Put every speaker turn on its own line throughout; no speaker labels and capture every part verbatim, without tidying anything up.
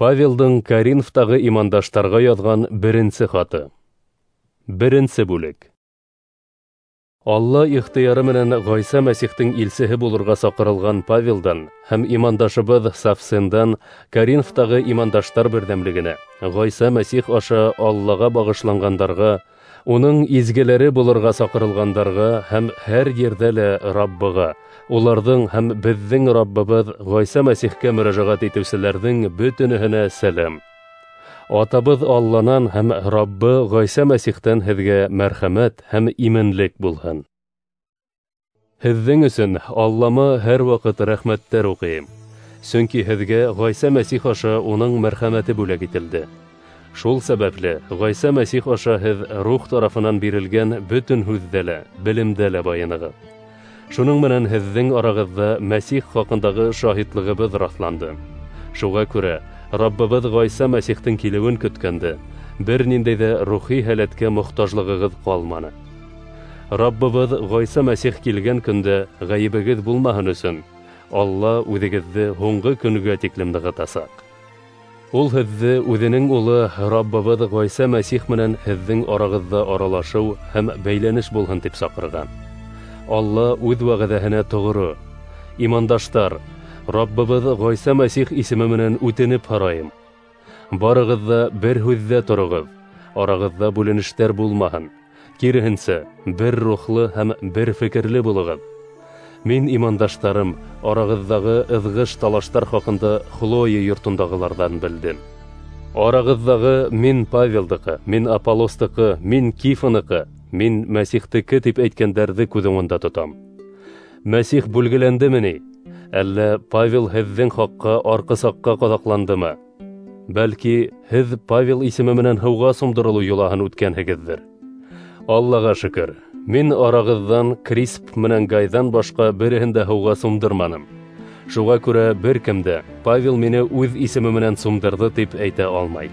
Павелдың Коринфтағы имандаштарға яҙған беренсе хаты. Беренсе бүлек. Алла ихтыяры менән Ғайса Мәсихтең илсеһе булырға саҡырылған Павелдан һәм имандашыбыҙ Савсендан Коринфтағы имандаштар берҙәмлегенә, Ғайса Мәсих аша Аллаға бағышланғандарға, уның изгеләре булырға саҡырылғандарға һәм һәр ерҙә лә Раббыға, уларҙың һәм беҙҙең Раббыбыҙ Ғайса Мәсихкә мөрәжәғәт итеүселәрҙең бөтөнөһөнә сәләм. Атабыҙ Алланан һәм Раббы Ғайса Мәсихтән һеҙгә мәрхәмәт һәм именлек булһын. Һеҙҙең өсөн Аллама һәр ваҡыт рәхмәттәр уҡыйым, сөнки һеҙгә Ғайса Мәсих аша уның мәрхәмәте бүләк ителде. Шул сәбәпле Ғайса Мәсих аша һеҙ рух тарафынан бирелгән бөтөн һүҙҙә лә, белемдә лә байынығыҙ. Шуның менән һеҙҙең арағыҙҙа Мәсих хаҡындағы шаһитлығыбыҙ раҫланды. Шуға күрә Раббыбыҙ Ғайса Мәсихтең килеүен көткәндә бер ниндәй ҙә рухи һәләткә мохтажлығығыҙ ҡалманы. Раббыбыҙ Ғайса Мәсих килгән көндә ғәйебегеҙ булмаһын өсөн Алла үҙегеҙҙе һуңғы көнгә тиклем нығытасаҡ. Ул һеҙҙе үҙенең улы Раббыбыҙ Ғайса Мәсих менән һеҙҙең арағыҙҙа аралашыу һәм бәйләнеш булһын тип саҡырған. Алла үҙ вәғәҙәһенә тоғро. Имандаштар, Раббыбыҙ Ғайса Мәсих исеме менән үтенеп һорайым. Барығыҙ ҙа бер һүҙҙә тороғоҙ, арағыҙҙа бүленештәр булмаһын. Киреһенсә, бер рухлы һәм бер фекерле булығыҙ. Мин, имандаштарым, арағыҙҙағы ыҙғыш-талаштар хаҡында Хлоя йортондағыларҙан белдем. Арағыҙҙағы мин Павелдыҡы, мин Аполлостыҡы, мин Кифаныҡы, мин Мәсихтеке тип әйткәндәрҙе күҙ уңында тотам. Мәсих бүлгеләндеме ни? Әллә Павел һеҙҙең хаҡҡа арҡысаҡҡа ҡаҙаҡландымы? Бәлки, һеҙ Павел исеме менән һыуға сумдырылыу йолаһын үткәнһегеҙҙер. Аллаға шөкөр, мин арағыҙҙан Крисп менән Гайҙан башҡа береһен дә һыуға сумдырманым. Шуға күрә бер кем дә Павел мине үҙ исеме менән сумдырҙы тип әйтә алмай.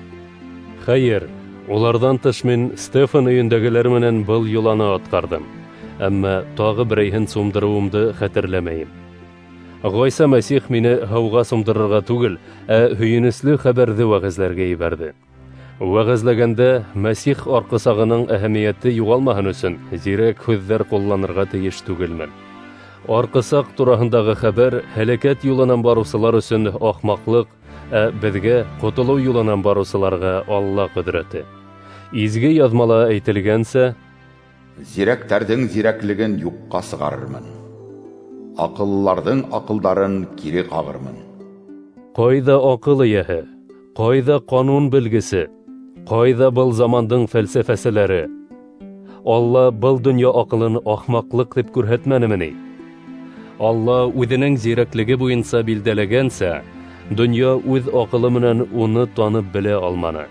Хәйер, уларҙан тыш мин Стефан өйөндәгеләр менән был йоланы атҡарҙым, әммә тағы берәйһен сумдырыуымды хәтерләмәйем. Ғайса Мәсих мине һыуға сумдырырға түгел, ә һөйөнөслө хәбәрҙе вәғәзләргә ебәрҙе. Вәғәзләгәндә Мәсих арҡысағының әһәмиәте юғалмаһын өсөн зирәк һүҙҙәр ҡулланырға тейеш түгелмен. Арҡысаҡ тураһындағы хәбәр һәләкәт юлынан барыусылар өсөн ахмаҡлыҡ, ә беҙгә ҡотолоу юлынан барыусыларға Алла ҡөҙрәте. Изге яҙмала әйтелгәнсә,
зирәктәрҙең зирәклеген юҡҡа сығарырмын, аҡыллыларҙың аҡылдарын кире ҡағырмын.
Ҡайҙа аҡыл эйәһе, ҡайҙа ҡанун белгесе, ҡайҙа был замандың фәлсәфәселәре? Алла был донъя аҡылын ахмаҡлыҡ тип күрһәтмәнеме ни? Алла үҙенең зирәклеге буйынса билдәләгәнсә, донъя үҙ аҡылы менән уны танып белә алманы.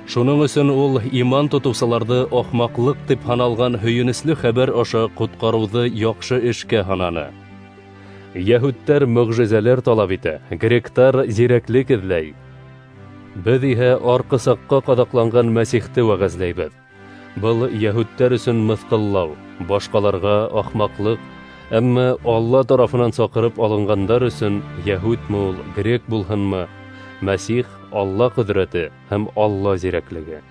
Шуның өсөн ул иман тотоусыларҙы ахмаҡлыҡ тип һаналған һөйөнөслө хәбәр аша ҡотҡарыуҙы яҡшы эшкә һананы. Йәһүдтәр мөғжизәләр талап итә, гректар зирәклек эҙләй. Беҙ иһә арҡысаҡҡа ҡаҙаҡланған Мәсихте вәғәзләйбеҙ. Был йәһүдтәр өсөн мыҫҡыллау, башҡаларға ахмаҡлыҡ, әммә Алла тарафынан саҡырып алынғандар өсөн йәһүдме ул, грек булһынмы, Мәсих Алла ҡөҙрәте һәм Алла зирәклеге.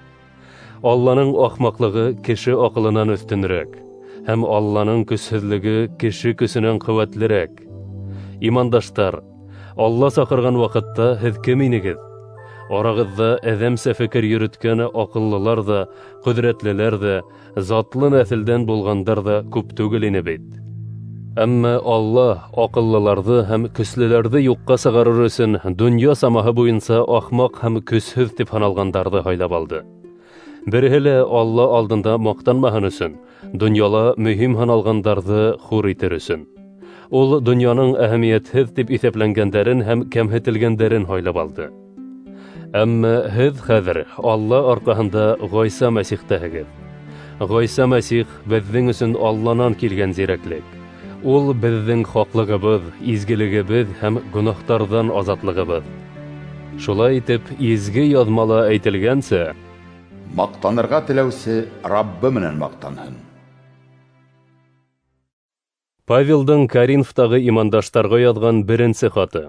Алланың ахмаҡлығы кеше аҡылынан өҫтөнөрәк, һәм Алланың көсһөҙлөгө кеше көсөнән ҡеүәтлерәк. Имандаштар, Алла саҡырған ваҡытта һеҙ кем инегеҙ? Арағыҙҙа әҙәмсә фекер йөрөткән аҡыллылар ҙа, ҡөҙрәтлеләр ҙә, затлы нәҫелдән булғандар ҙа күп түгел ине бит. Әммә Алла аҡыллыларҙы һәм көслөләрҙе юҡҡа сығарыр өсөн донъя самаһы буйынса ахмаҡ һәм көсһөҙ тип һаналғандарҙы һайлап алды. Береһе лә Алла алдында маҡтанмаһын өсөн, донъяла мөһим һаналғандарҙы хур итер өсөн. Ул донъяның әһәмиәтһеҙ тип иҫәпләнгәндәрен һәм кәмһетелгәндәрен һайлап алды. Әммә һеҙ хәҙер Алла арҡаһында Ғайса Мәсихтәһегеҙ. Ғайса Мәсих беҙҙең өсөн Алланан килгән зирәклек. Ул беҙҙең хаҡлығыбыҙ, изгелегебеҙ һәм гонаһтарҙан азатлығыбыҙ. Шулай итеп, изге яҙмала әйтелгәнсә,
маҡтанырға теләүсе Раббы менән маҡтанһын.
Павелдың Коринфтағы имандаштарға яҙған беренсе хаты.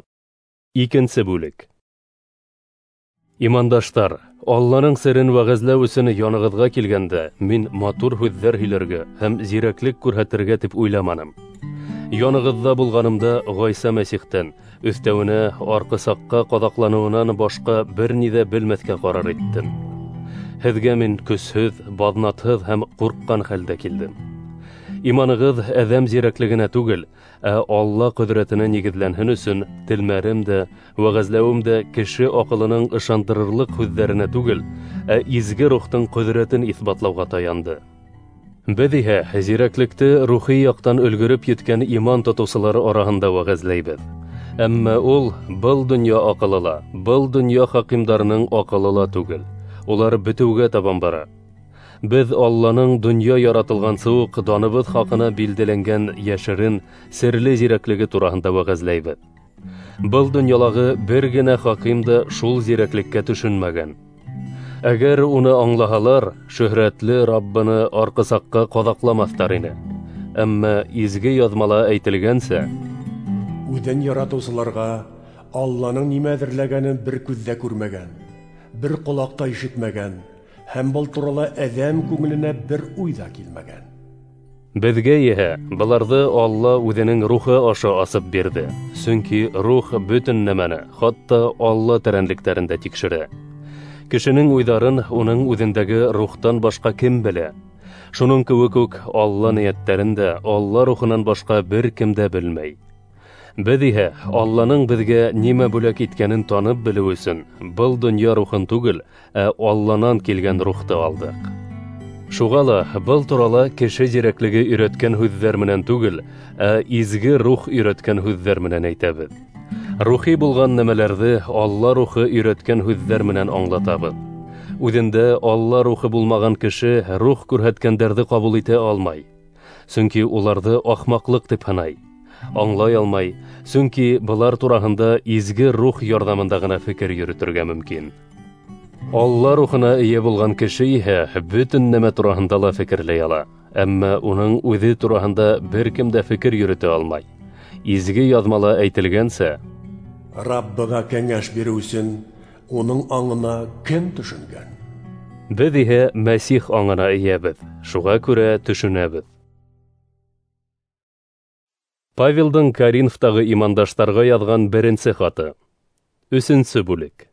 Икенсе бүлек. Имандаштар, Алланың серен вәғәзләү өсөн янығыҙға килгәндә, мин матур һүҙҙәр һөйләргә һәм зирәклек күрһәтергә тип уйламаным. Янығыҙҙа булғанымда Ғайса Мәсихтән, өҫтәүенә арҡысаҡҡа ҡаҙаҡланыуынан башҡа бер ни ҙә белмәҫкә ҡарар иттем. Һеҙгә мин көсһөҙ, баҙнатһыҙ һәм ҡурҡҡан хәлдә килдем. Иманығыҙ әҙәм зирәклегенә түгел, ә Алла ҡөҙрәтенә нигеҙләнһен өсөн телмәрем дә, вәғәзләүем дә кеше аҡылының ышандырырлыҡ һүҙҙәренә түгел, ә изге рухтың ҡөҙрәтен иҫбатлауға таянды. Беҙ иһә зирәклекте рухи яҡтан өлгөрөп еткән иман тотоусылары араһында вәғәзләйбеҙ. Әммә ул был донъя аҡылы ла, был донъя хакимдарының аҡылы ла түгел. Улар бөтөүгә табан бара. Беҙ Алланың донъя яратылғансы уҡ даныбыҙ хаҡына билдәләнгән йәшерен, серле зирәклеге тураһында вәғәзләйбеҙ. Был донъялағы бер генә хаким да шул зирәклеккә төшөнмәгән. Әгәр уны аңлаһалар, шөһрәтле Раббыны арҡысаҡҡа ҡаҙаҡламаҫтар ине. Әммә изге яҙмала әйтелгәнсә,
үҙен яратыусыларға Алланың нимә әҙерләгәнен бер күҙ ҙә күрмәгән, бер ҡолаҡ та ишетмәгән, һәм был турала әҙәм күңеленә бер уй ҙа килмәгән.
Беҙгә иһә быларҙы Алла үҙенең рухы аша асып бирҙе, сөнки рух бөтөн нәмәне, хатта Алла тәрәнлектәрен дә тикшерә. Кешенең уйҙарын уның үҙендәге рухтан башҡа кем белә? Шуның кеүек үк Алла ниәттәрен дә Алла рухынан башҡа бер кем дә белмәй. Беҙ иһә Алланың беҙгә нимә бүләк иткәнен танып белеү өсөн был донъя рухын түгел, ә Алланан килгән рухты алдыҡ. Шуға ла был турала кеше зирәклеге өйрәткән һүҙҙәр менән түгел, ә изге рух өйрәткән һүҙҙәр менән әйтәбеҙ. Рухи булған нәмәләрҙе Алла рухы өйрәткән һүҙҙәр менән аңлатабыҙ. Үҙендә Алла рухы булмаған кеше рух күрһәткәндәрҙе ҡабул итә алмай, сөнки уларҙы ахмаҡлыҡ тип һанай. Аңлай алмай, сөнки былар тураһында изге рух ярҙамында ғына фекер йөрөтөргә мөмкин. Алла рухына эйә булған кеше иһә бөтөн нәмә тураһында ла фекерләй ала, әммә уның үҙе тураһында бер кем дә фекер йөрөтә алмай. Изге яҙмала әйтелгәнсә,
Раббыға кәңәш биреү өсөн уның аңына кем төшөнгән?
Беҙ иһә Мәсих аңына эйәбеҙ, шуға күрә төшөнәбеҙ. Павелдың Коринфтағы имандаштарға яҙған беренсе хаты. Өсөнсө бүлек.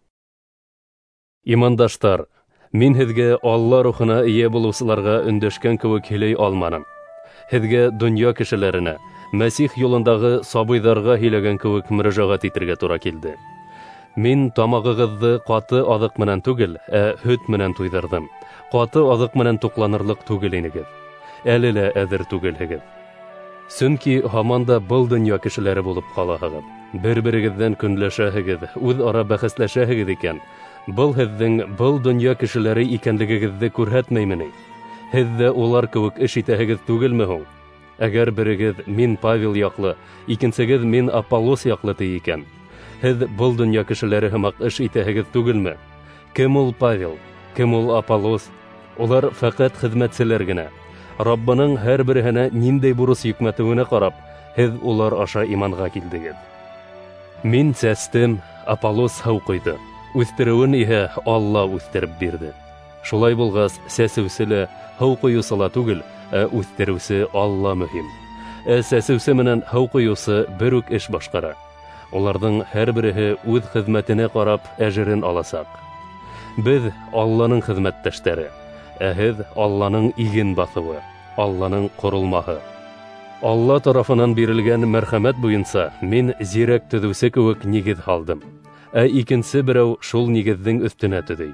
Имандаштар, мин һеҙгә Алла рухына эйә булыусыларға өндәшкән кеүек һөйләй алманым. Һеҙгә донъя кешеләренә, Мәсих юлындағы сабыйҙарға һөйләгән кеүек мөрәжәғәт итергә тура килде. Мин тамағығыҙҙы ҡаты аҙыҡ менән түгел, ә һөт менән туйҙырҙым. Ҡаты аҙыҡ менән туҡланырлыҡ түгел инегеҙ. Әле лә әҙер түгелһегеҙ. Сөнки һаман да был донъя кешеләре булып ҡалаһығыҙ. Бер-берегеҙҙән көнләшәһегеҙ, үҙ-ара бәхәсләшәһегеҙ икән, был һеҙҙең был донъя кешеләре икәнлегегеҙҙе күрһәтмәйме ни? Һеҙ ҙә улар кеүек эш итәһегеҙ түгелме һуң? Әгәр берегеҙ мин Павел яҡлы, икенсегеҙ мин Аполлос яҡлы ти икән, һеҙ был донъя кешеләре һымаҡ эш итәһегеҙ түгелме? Кем ул Павел? Кем ул Аполлос? Улар фәҡәт хеҙмәтселәр генә. Раббының һәр береһенә ниндәй бурыс йөкмәтеүенә ҡарап, һеҙ улар аша иманға килдегеҙ. Мин сәстем, Аполлос һыу ҡойҙо. Үҫтереүен иһә Алла үҫтереп бирҙе. Шулай булғас, сәсеүсе лә, һыу ҡойоусы ла түгел, ә үҫтереүсе Алла мөһим. Ә сәсеүсе менән һыу ҡойоусы бер үк эш башҡара. Уларҙың һәр береһе үҙ хеҙмәтенә ҡарап әжерен аласаҡ. Беҙ Алланың хеҙмәттәштәре, ә һеҙ Алланың иген баҫыуы, Алланың ҡоролмаһы. Алла тарафынан бирелгән мәрхәмәт буйынса мин зирәк төҙөүсе кеүек нигеҙ һалдым, ә икенсе берәү шул нигеҙҙең өҫтөнә төҙөй.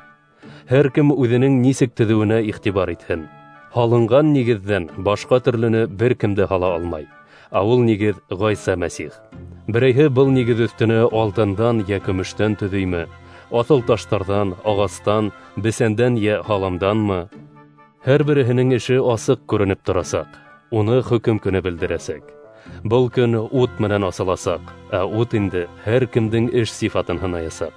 Һәр кем үҙенең нисек төҙөүенә иғтибар итһен. Һалынған нигеҙҙән башҡа төрлөнө бер кем дә һала алмай. Ә ул нигеҙ Ғайса Мәсих. Берәйһе был нигеҙ өҫтөнә алтындан йә көмөштән төҙөймө, аҫыл таштарҙан, ағастан, бесәндән йә һаламданмы? Һәр береһенең эше асыҡ күренеп торасаҡ, уны хөкөм көнө белдерәсәк. Был көн ут менән асыласаҡ, ә ут инде һәр кемдең эш сифатын һынаясаҡ.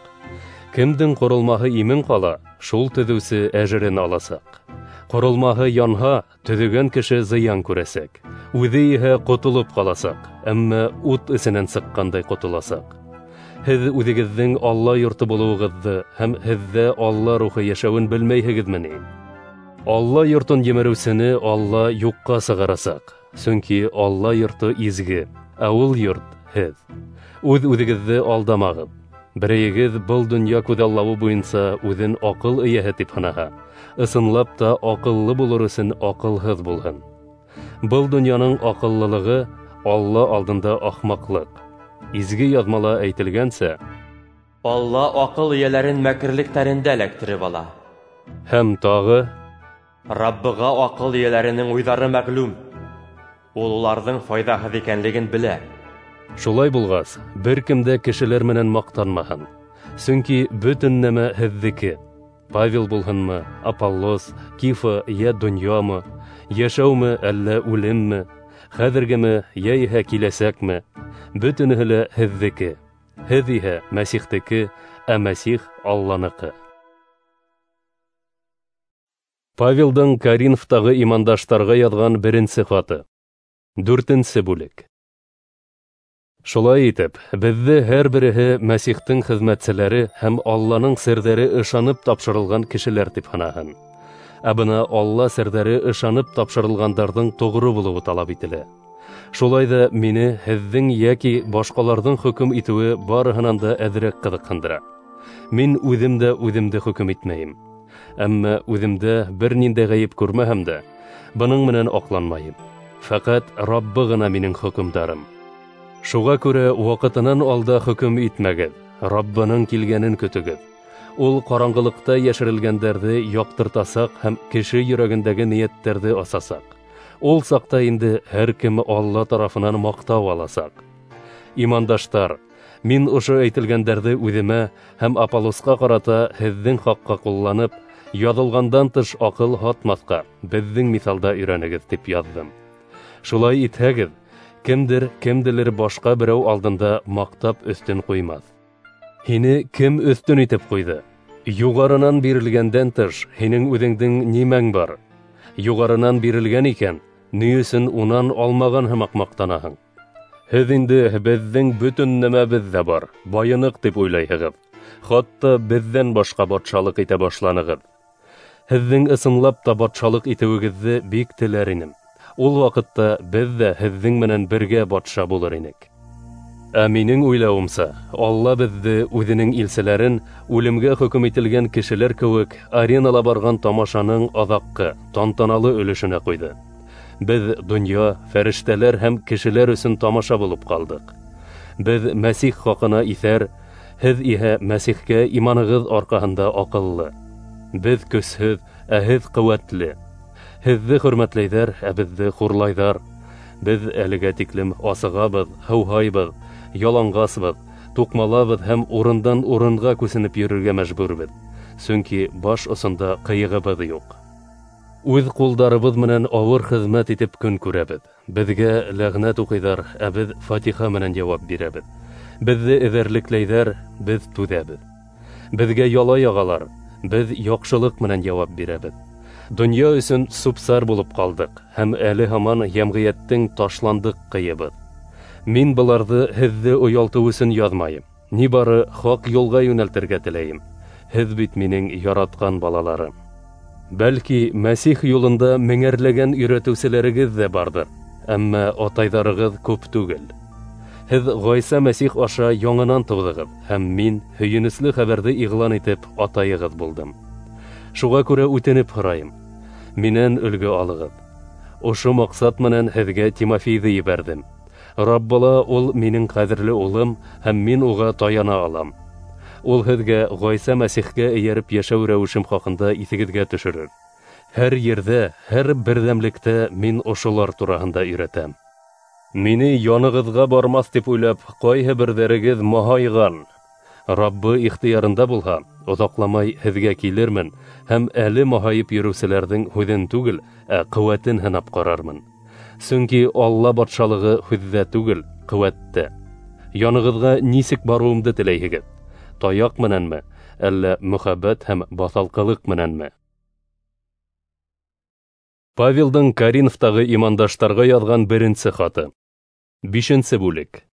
Кемдең ҡоролмаһы имен ҡала, шул төҙөүсе әжерен аласаҡ. Ҡоролмаһы янһа, төҙөгән кеше зыян күрәсәк. Үҙе иһә ҡотолоп ҡаласаҡ, әммә ут эсенән сыҡҡандай ҡотоласаҡ. Һеҙ үҙегеҙҙең Алла йорто булыуығыҙҙы һәм һеҙҙә Алла рухы йәшәүен белмәйһегеҙме ни? Алла йортон емереүсене Алла юҡҡа сығарасаҡ, сөнки Алла йорто изге, ә ул йорт һеҙ. Үҙ-үҙегеҙҙе алдамағыҙ. Берәйегеҙ был донъя күҙаллауы буйынса үҙен аҡыл эйәһе тип һанаһа, ысынлап та аҡыллы булыр өсөн аҡылһыҙ булһын. Был донъяның аҡыллылығы Алла алдында ахмаҡлыҡ. Изге яҙмала әйтелгәнсә,
Алла аҡыл эйәләрен мәкерлектәрендә эләктереп ала.
Һәм тағы,
Раббыға аҡыл эйәләренең уйҙары мәғлүм. Ул уларҙың файҙаһыҙ икәнлеген белә.
Шулай булғас, бер кем дә кешеләр менән маҡтанмаһын. Сөнки бөтөн нәмә һеҙҙеке. Павел булһынмы, Аполлос, Кифа йә донъямы, йәшәүме әллә үлемме, хәҙергеме йә иһә киләсәкме, бөтөнөһө лә һеҙҙеке. Һеҙ иһә Мәсихтеке, ә Мәсих Алланыҡы. Павелдың Коринфтағы имандаштарға яҙған беренсе хаты. Дүртенсе бүлек. Шулай итеп, беҙҙе һәр береһе Мәсихтең хеҙмәтселәре һәм Алланың серҙәре ышанып тапшырылған кешеләр тип һанаһын. Ә бына Алла серҙәре ышанып тапшырылғандарҙың тоғро булыуы талап ителә. Шулай ҙа мине һеҙҙең йәки башҡаларҙың хөкөм итеүе барыһынан да әҙерәк ҡыҙыҡһындыра. Мин үҙем дә үҙемде хөкөм итмәйем. Әммә үҙемдә бер ниндәй ғәйеп күрмәһәм дә, бының менән аҡланмайым. Фәҡәт Раббы ғына минең хөкөмдарым. Шуға күрә ваҡытынан алда хөкөм итмәгеҙ, Раббының килгәнен көтөгөҙ. Ул ҡараңғылыҡта йәшерелгәндәрҙе яҡтыртасаҡ һәм кеше йөрәгендәге ниәттәрҙе асасаҡ. Ул саҡта инде һәр кем Алла тарафынан маҡтау аласаҡ. Имандаштар, мин ошо әйтелгәндәрҙе үҙемә һәм Аполлосҡа ҡарата һеҙҙең хаҡҡа ҡулланып, яҙылғандан тыш аҡыл һатмаҫҡа, беҙҙең миҫалда өйрәнегеҙ тип яҙҙым. Шулай итһәгеҙ, кемдер кемделер башҡа берәү алдында маҡтап өҫтөн ҡуймаҫ. Һине кем өҫтөн итеп ҡуйҙы? Юғарынан бирелгәндән тыш һинең үҙеңдең нимәң бар? Юғарынан бирелгән икән, ни өсөн унан алмаған һымаҡ маҡтанаһың? Һеҙ инде беҙҙең бөтөн нәмәбеҙ ҙә бар, байыныҡ тип уйлайһығыҙ. Хатта беҙҙән башҡа батшалыҡ итә башланығыҙ. Һеҙҙең ысынлап та батшалыҡ итеүегеҙҙе бик теләр инем. Ул ваҡытта беҙ ҙә һеҙҙең менән бергә батша булыр инек. Ә минең уйлауымса, Алла беҙҙе үҙенең илселәрен үлемгә хөкөм ителгән кешеләр кеүек аренала барған тамашаның аҙаҡҡы, тантаналы өлөшөнә ҡуйҙы. Беҙ донъя, фәрештәләр һәм кешеләр өсөн тамаша булып ҡалдыҡ. Беҙ Мәсих хаҡына иҫәр, һеҙ иһә Мәсихкә иманығыҙ арҡаһында аҡыллы. Беҙ көсһөҙ, ә һеҙ ҡеүәтле. Һеҙҙе хөрмәтләйҙәр, ә беҙҙе хурлайҙар. Беҙ әлегә тиклем асығабыҙ, һыуһайбыҙ, яланғасбыҙ, туҡмалабыҙ һәм урындан урынға күсенеп йөрөргә мәжбүрбеҙ. Сөнки баш осонда ҡыйығыбыҙ юҡ. Үҙ ҡулдарыбыҙ менән ауыр хеҙмәт итеп көн күрәбеҙ. Беҙгә ләғнәт уҡыйҙар, ә беҙ фатиха менән яуап бирәбеҙ. Беҙҙе эҙәрлекләйҙәр, беҙ түҙәбеҙ. Беҙгә яла яғалар, беҙ яҡшылыҡ менән яуап бирәбеҙ. Донъя өсөн сүп-сар булып ҡалдыҡ һәм әле һаман йәмғиәттең ташландыҡ ҡыйыбыҙ. Мин быларҙы һеҙҙе оялтыу өсөн яҙмайым. Ни бары хаҡ юлға йүнәлтергә теләйем. Һеҙ бит минең яратҡан балаларым. Бәлки Мәсих юлында меңәрләгән өйрәтеүселәрегеҙ ҙә барҙыр, әммә атайҙарығыҙ күп түгел. Һеҙ Ғайса Мәсих аша яңынан тыуҙығыҙ, һәм мин һөйөнөслө хәбәрҙе иғлан итеп атайығыҙ булдым. Шуға күрә үтенеп һорайым, минән өлгө алығыҙ. Ошо маҡсат менән һеҙгә Тимофейҙы ебәрҙем. Раббыла ул минең ҡәҙерле улым, һәм мин уға таяна алам. Ул һеҙгә Ғайса Мәсихкә эйәреп йәшәү рәүешем хаҡында иҫегеҙгә төшөрөр. Һәр ерҙә, һәр берҙәмлектә мин ошолар тураһында өйрәтәм. Мине янығыҙға бармаҫ тип уйлап, ҡайһы берҙәрегеҙ маһайған. Раббы ихтыярында булһа, оҙаҡламай һеҙгә килермен һәм әле маһайып йөрөүселәрҙең һүҙен түгел, ә ҡеүәтен һынап ҡарармын. Сөнки Алла батшалығы һүҙҙә түгел, ҡеүәттә. Янығыҙға нисек барыуымды теләйһегеҙ? Таяҡ менәнме, әллә мөхәббәт һәм баҫалҡылыҡ менәнме? Павелдың Коринфтағы имандаштарға яҙған беренсе хаты. Бишенсе бүлек.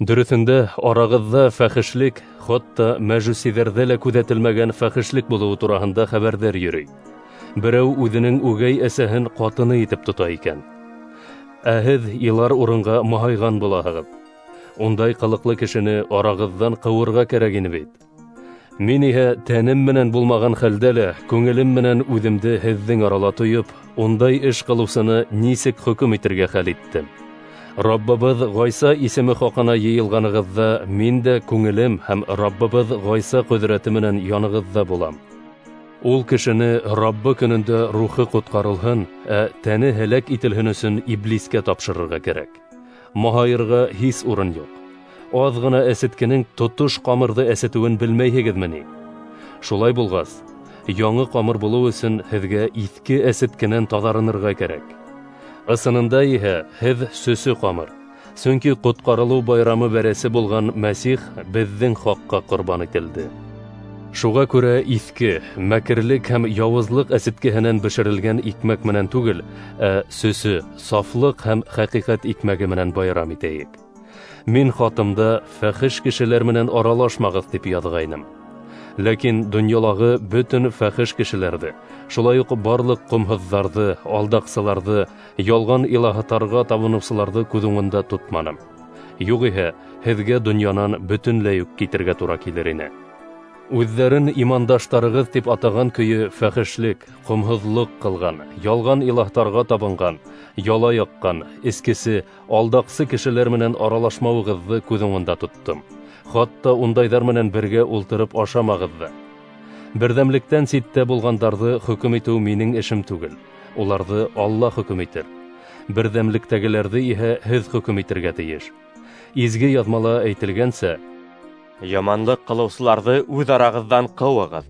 Дөрөҫөндә, арағыҙҙа фәхешлек, хатта мәжүсиҙәрҙә лә күҙәтелмәгән фәхешлек булыуы тураһында хәбәрҙәр йөрөй. Берәү үҙенең үгәй әсәһен ҡатыны итеп тота икән. Ә һеҙ илар урынға маһайған булаһығыҙ. Ундай ҡылыҡлы кешене арағыҙҙан ҡыуырға кәрәк ине бит. Мин иһә тәнем менән булмаған хәлдә лә күңелем менән үҙемде һеҙҙең арала тойоп, ундай эш ҡылыусыны нисек хөкөм итергә хәл иттем. Раббыбыҙ Ғайса исеме хаҡына йыйылғанығыҙҙа мин дә күңелем һәм Раббыбыҙ Ғайса ҡөҙрәте менән янығыҙҙа булам. Ул кешене Раббы көнөндә рухы ҡотҡарылһын, ә тәне һәләк ителһен өсөн иблискә тапшырырға кәрәк. Маһайырға һис урын юҡ. Аҙ ғына әсеткенең тотош ҡамырҙы әсетеүен белмәйһегеҙме ни? Шулай булғас, яңы ҡамыр булыу өсөн һеҙгә иҫке әсеткенән таҙарынырға кәрәк. Ысынында иһә һеҙ сөсө ҡамыр, сөнки ҡотҡарылыу байрамы бәрәсе булған Мәсих беҙҙең хаҡҡа ҡорбан ителде. Шуға күрә иҫке, мәкерлек һәм яуызлыҡ әсеткеһенән бешерелгән икмәк менән түгел, ә сөсө, сафлыҡ һәм хәҡиҡәт икмәге менән байрам итәйек. Мин хатымда фәхиш кешеләр менән аралашмағыҙ тип яҙғайным. Ләкин донъялағы бөтөн фәхиш кешеләрҙе, шулай уҡ барлыҡ ҡомһоҙҙарҙы, алдаҡсыларҙы, ялған илаһтарға табыныусыларҙы күҙ уңында тотманым. Юғиһә, һеҙгә донъянан бөтөнләй үк китергә тура килер ине. Үҙҙәрен имандаштарығыҙ тип атаған көйө фәхешлек, ҡомһоҙлоҡ ҡылған, ялған илаһтарға табынған, яла яҡҡан, эскесе, алдаҡсы кешеләр менән аралашмауығыҙҙы күҙ уңында тоттом. Хатта ундайҙар менән бергә ултырып ашамағыҙ ҙа. Берҙәмлектән ситтә булғандарҙы хөкөм итеү минең эшем түгел. Уларҙы Алла хөкөм итер. Берҙәмлектәгеләрҙе иһә һеҙ хөкөм итергә тейеш. Изге яҙмала әйтелгәнсә,
яманлыҡ ҡылыусыларҙы үҙ арағыҙҙан ҡыуығыҙ.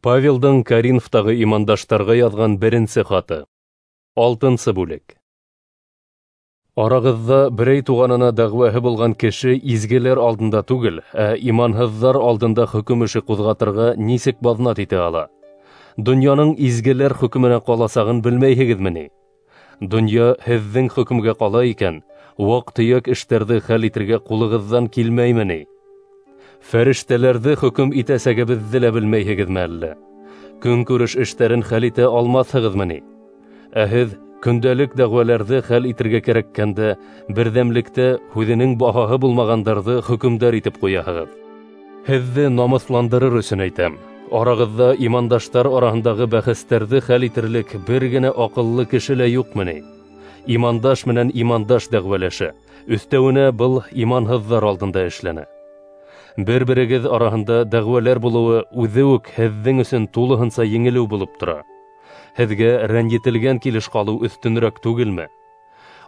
Павелдың Коринфтағы имандаштарға яҙған беренсе хаты. Алтынсы бүлек. Арағыҙҙа берәй туғанына дәғүәһе булған кеше изгеләр алдында түгел, ә иманһыҙҙар алдында хөкөм эше ҡуҙғатырға нисек баҙнат итә ала? Донъяның изгеләр хөкөмөнә ҡаласағын белмәйһегеҙме ни? Донъя һеҙҙең хөкөмгә ҡала икән, ваҡ-төйәк эштәрҙе хәл итергә ҡулығыҙҙан килмәйме ни? Фәрештәләрҙе хөкөм итәсәгебеҙҙе лә белмәйһегеҙме әллә? Көнкүреш эштәрен хәл итә алмаҫһығыҙмы ни? Ә һеҙ көндәлек дәғүәләрҙе хәл итергә кәрәккәндә берҙәмлектә һүҙенең баһаһы булмағандарҙы хөкөмдар итеп ҡуяһығыҙ. Һеҙҙе намыҫландырыр өсөн әйтәм. Арағыҙҙа имандаштар араһындағы бәхәстәрҙе хәл итерлек бер генә аҡыллы кеше лә юҡмы ни? Имандаш менән имандаш дәғүәләшә, өҫтәүенә был иманһыҙҙар алдында эшләнә. Бер-берегеҙ араһында дәғүәләр булыуы үҙе үк һеҙҙең өсөн тулыһынса еңелеү булып тора. Һеҙгә рәнйетелгән килеш ҡалыу өҫтөнөрәк түгелме?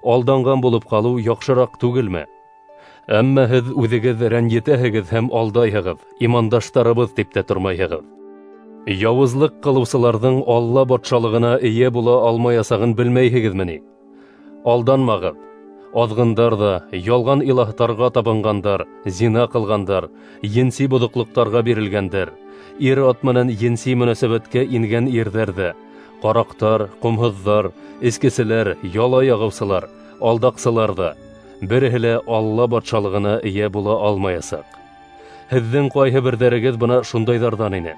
Алданған булып ҡалыу яҡшыраҡ түгелме? Әммә һеҙ үҙегеҙ рәнйетәһегеҙ һәм алдайһығыҙ, имандаштарыбыҙ тип тә тормайһығыҙ. Яуызлыҡ ҡылыусыларҙың Алла батшалығына эйә була алмаясағын белмәйһегеҙме ни? Алданмағыҙ. Аҙғындар ҙа, ялған илаһтарға табынғандар, зина ҡылғандар, енси боҙоҡлоҡтарға бирелгәндәр, ир-ат менән енси мөнәсәбәткә ингән ирҙәр ҙә, ҡараҡтар, ҡомһоҙҙар, эскеселәр, яла яғыусылар, алдаҡсылар ҙа, береһе лә Алла батшалығына эйә була алмаясаҡ. Һеҙҙең ҡайһы берҙәрегеҙ бына шундайҙарҙан ине.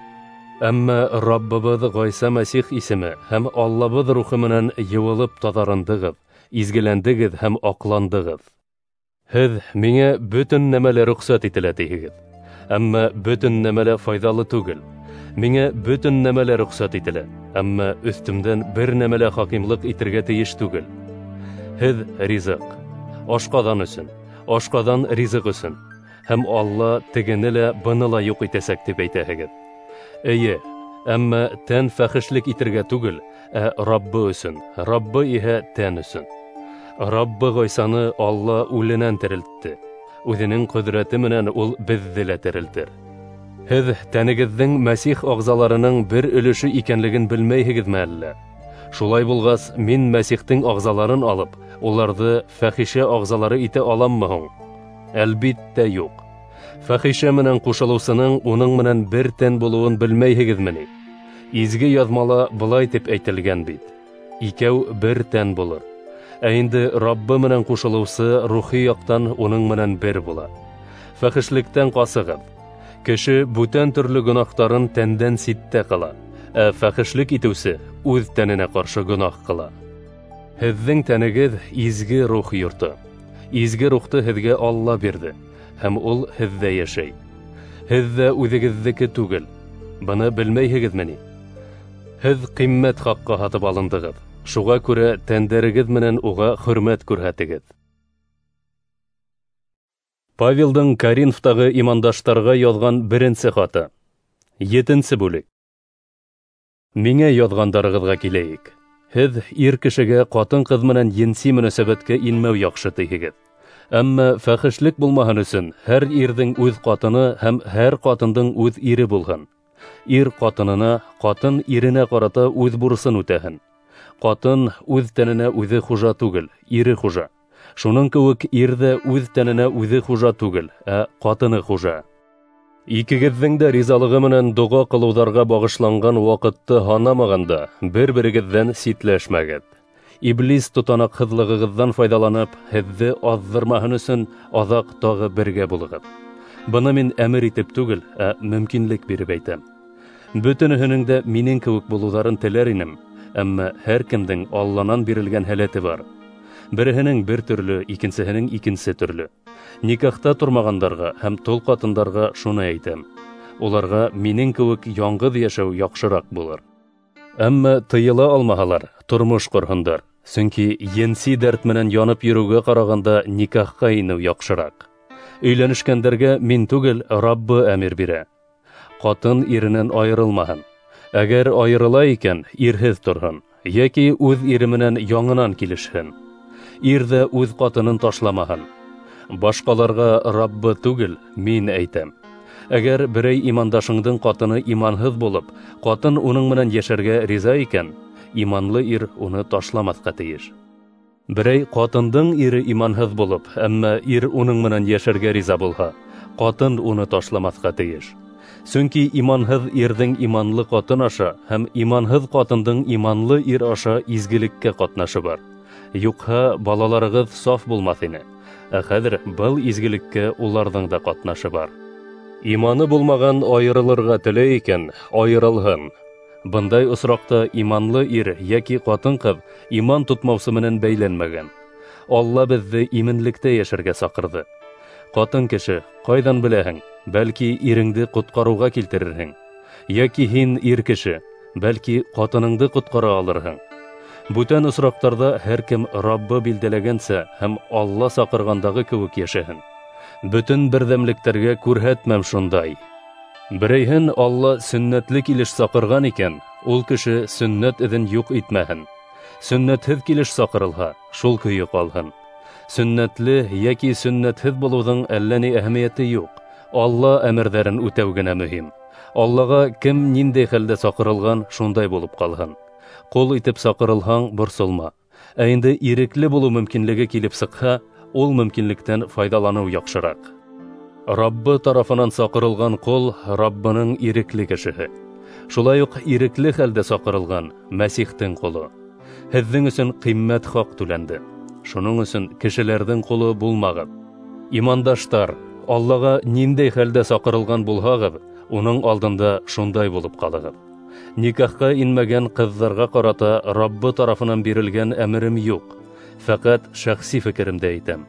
Әммә Раббыбыҙ Ғайса Мәсих исеме һәм Аллабыҙ рухы менән йыуылып таҙарындығыҙ, изгеләндегеҙ һәм аҡландығыҙ. Һеҙ миңә бөтөн нәмә лә рөхсәт ителә тиһегеҙ, әммә бөтөн нәмә лә файҙалы түгел. Миңә бөтөн нәмә лә рөхсәт ителә, әммә өҫтөмдән бер нәмә лә хакимлыҡ итергә тейеш түгел. Һеҙ ризыҡ, ашҡаҙан өсөн, ашҡаҙан ризыҡ өсөн, һәм Алла тегене лә быны ла юҡ итәсәк тип әйтәһегеҙ. Эйе, әммә тән фәхешлек итергә түгел, ә Раббы өсөн, Раббы иһә тән өсөн. Раббы Ғайсаны Алла үленән терелтте. Үҙенең ҡөҙрәте менән ул беҙҙе лә терелтер. Һеҙ тәнегеҙҙең Мәсих ағзаларының бер өлөшө икәнлеген белмәйһегеҙме әллә? Шулай булғас, мин Мәсихтең ағзаларын алып, уларҙы фәхишә ағзалары итә аламмы һуң? Әлбиттә юҡ. Фәхишә менән ҡушылыусының уның менән бер тән булыуын белмәйһегеҙме ни? Изге яҙмала былай тип әйтелгән бит: икәү бер тән булыр. Ә инде Раббы менән ҡушылыусы рухи яҡтан уның менән бер була. Фәхешлектән ҡасығыҙ. Кеше бүтән төрлө гонаһтарын тәндән ситтә ҡыла, ә фәхешлек итеүсе үҙ тәненә ҡаршы гонаһ ҡыла. Һеҙҙең тәнегеҙ изге рух йорто. Изге рухты һеҙгә Алла бирҙе, һәм ул һеҙҙә йәшәй. Һеҙ ҙә үҙегеҙҙеке түгел. Быны белмәйһегеҙме ни? Һеҙ ҡиммәт хаҡҡа һатып алындығыҙ. Шуға күрә тәндәрегеҙ менән уға хөрмәт күрһәтегеҙ. Павелдың Коринфтағы имандаштарға яҙған беренсе хаты. Етенсе бүлек. Миңә яҙғандарығыҙға киләйек. Һеҙ ир кешегә ҡатын-ҡыҙ менән енси мөнәсәбәткә инмәү яҡшы тиһегеҙ. Әммә фәхешлек булмаһын өсөн һәр ирҙең үҙ ҡатыны һәм һәр ҡатындың үҙ ире булһын. Ир ҡатынына, ҡатын иренә ҡарата үҙ бурысын үтәһен. Ҡатын үҙ тәненә үҙе хужа түгел, ире хужа. Шуның кеүек ир ҙә үҙ тәненә үҙе хужа түгел, ә ҡатыны хужа. Икегеҙҙең дә ризалығы менән доға ҡылыуҙарға бағышланған ваҡытты һанамағанда, бер-берегеҙҙән ситләшмәгеҙ. Иблис тотанаҡһыҙлығығыҙҙан файҙаланып, һеҙҙе аҙҙырмаһын өсөн аҙаҡ тағы бергә булығыҙ. Быны мин әмер итеп түгел, ә мөмкинлек биреп әйтәм. Бөтөнөһөнөң дә минең кеүек булыуҙарын теләр инем, әммә һәр кемдең Алланан бирелгән һәләте бар. Береһенең бер төрлө, икенсеһенең икенсе төрлө. Никахта тормағандарға һәм тол ҡатындарға шуны әйтәм: уларға минең кеүек яңғыҙ йәшәү яҡшыраҡ булыр. Әммә тыйыла алмаһалар, тормош ҡорһондар, сөнки енси дәрт менән янып йөрөүгә ҡарағанда никахҡа инеү яҡшыраҡ. Өйләнешкәндәргә мин түгел, Раббы әмер бирә. Ҡатын иренән айырылмаһын. Әгәр айырыла икән, ирһеҙ торһон, йәки үҙ ире менән яңынан килешһен. Ир ҙә үҙ ҡатынын ташламаһын. Башҡаларға Раббы түгел, мин әйтәм. Әгәр берәй имандашыңдың ҡатыны иманһыҙ булып, ҡатын уның менән йәшәргә риза икән, иманлы ир уны ташламаҫҡа тейеш. Берәй ҡатындың ире иманһыҙ булып, әммә ир уның менән йәшәргә риза булһа, ҡатын уны ташламаҫҡа тейеш. Сөнки иманһыҙ ирҙең иманлы ҡатын аша һәм иманһыҙ ҡатындың иманлы ир аша изгелеккә ҡатнашы бар. Юҡһа балаларығыҙ саф булмаҫ ине. Ә хәҙер был изгелеккә уларҙың да ҡатнашы бар. Иманы булмаған айырылырға теләй икән, айырылһын. Бындай осраҡта иманлы ир йәки ҡатын-ҡыҙ иман тотмаусы менән бәйләнмәгән. Алла беҙҙе именлектә йәшәргә саҡырҙы. Ҡатын кеше, ҡайҙан беләһең, бәлки иреңде ҡотҡарыуға килтерерһең. Йәки һин ир кеше, бәлки ҡатыныңды ҡотҡара алырһың. Бүтән осраҡтарҙа һәр кем Раббы билдәләгәнсә һәм Алла саҡырғандағы кеүек йәшәһен. Бөтөн берҙәмлектәргә күрһәтмәм шундай. Берәйһен Алла сөннәтле килеш саҡырған икән, ул кеше сөннәт эҙен юҡ итмәһен. Сөннәтһеҙ килеш саҡырылһа, шул көйө ҡалһын. Сөннәтле йәки сөннәтһеҙ булыуҙың әллә ни әһәмиәте юҡ. Алла әмерҙәрен үтәү генә мөһим. Аллаға кем ниндәй хәлдә саҡырылған, шундай булып ҡалһын. Ҡол итеп саҡырылһаң, борсолма. Ә инде ирекле булыу мөмкинлеге килеп сыҡһа, ул мөмкинлектән файҙаланыу яҡшыраҡ. Раббы тарафынан саҡырылған ҡол Раббының ирекле кешеһе. Шулай уҡ ирекле хәлдә саҡырылған Мәсихтең ҡоло. Һеҙҙең өсөн ҡиммәт хаҡ түләнде. Шуның өсөн кешеләрҙең ҡоло булмағыҙ. Имандаштар, Аллаға ниндәй хәлдә саҡырылған булһағыҙ, уның алдында шундай булып ҡалығыҙ. Никахҡа инмәгән ҡыҙҙарға ҡарата Раббы тарафынан бирелгән әмерем юҡ. Фәҡәт шәхси фекеремде әйтәм.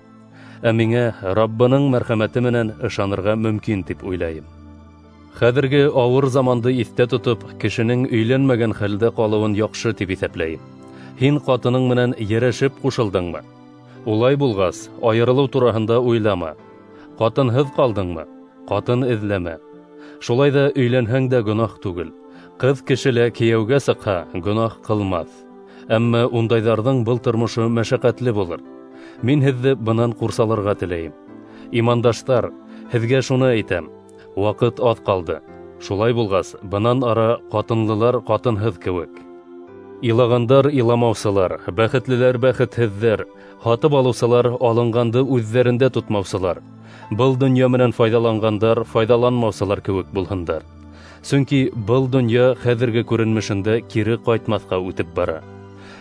Ә миңә Раббының мәрхәмәте менән ышанырға мөмкин тип уйлайым. Хәҙерге ауыр заманды иҫтә тотоп, кешенең өйләнмәгән хәлдә ҡалыуын яҡшы тип иҫәпләйем. Һин ҡатының менән йәрәшеп ҡушылдыңмы? Улай булғас, айырылыу тураһында уйлама. Ҡатынһыҙ ҡалдыңмы? Ҡатын эҙләмә. Шулай ҙа өйләнһәң дә гонаһ түгел. Ҡыҙ кеше лә кейәүгә сыҡһа, гонаһ ҡылмаҫ. Әммә ундайҙарҙың был тормошо мәшәҡәтле булыр. Мин һеҙҙе бынан ҡурсаларға теләйем. Имандаштар, һеҙгә шуны әйтәм: ваҡыт аҙ ҡалды. Шулай булғас, бынан ара ҡатынлылар ҡатынһыҙ кеүек. Илағандар иламаусылар, бәхетлеләр бәхетһеҙҙәр, һатып алыусылар алынғанды үҙҙәрендә тотмаусылар, был донъя менән файҙаланғандар файҙаланмаусылар кеүек булһындар. Сөнки был донъя хәҙерге күренмешендә кире ҡайтмаҫҡа үтеп бара.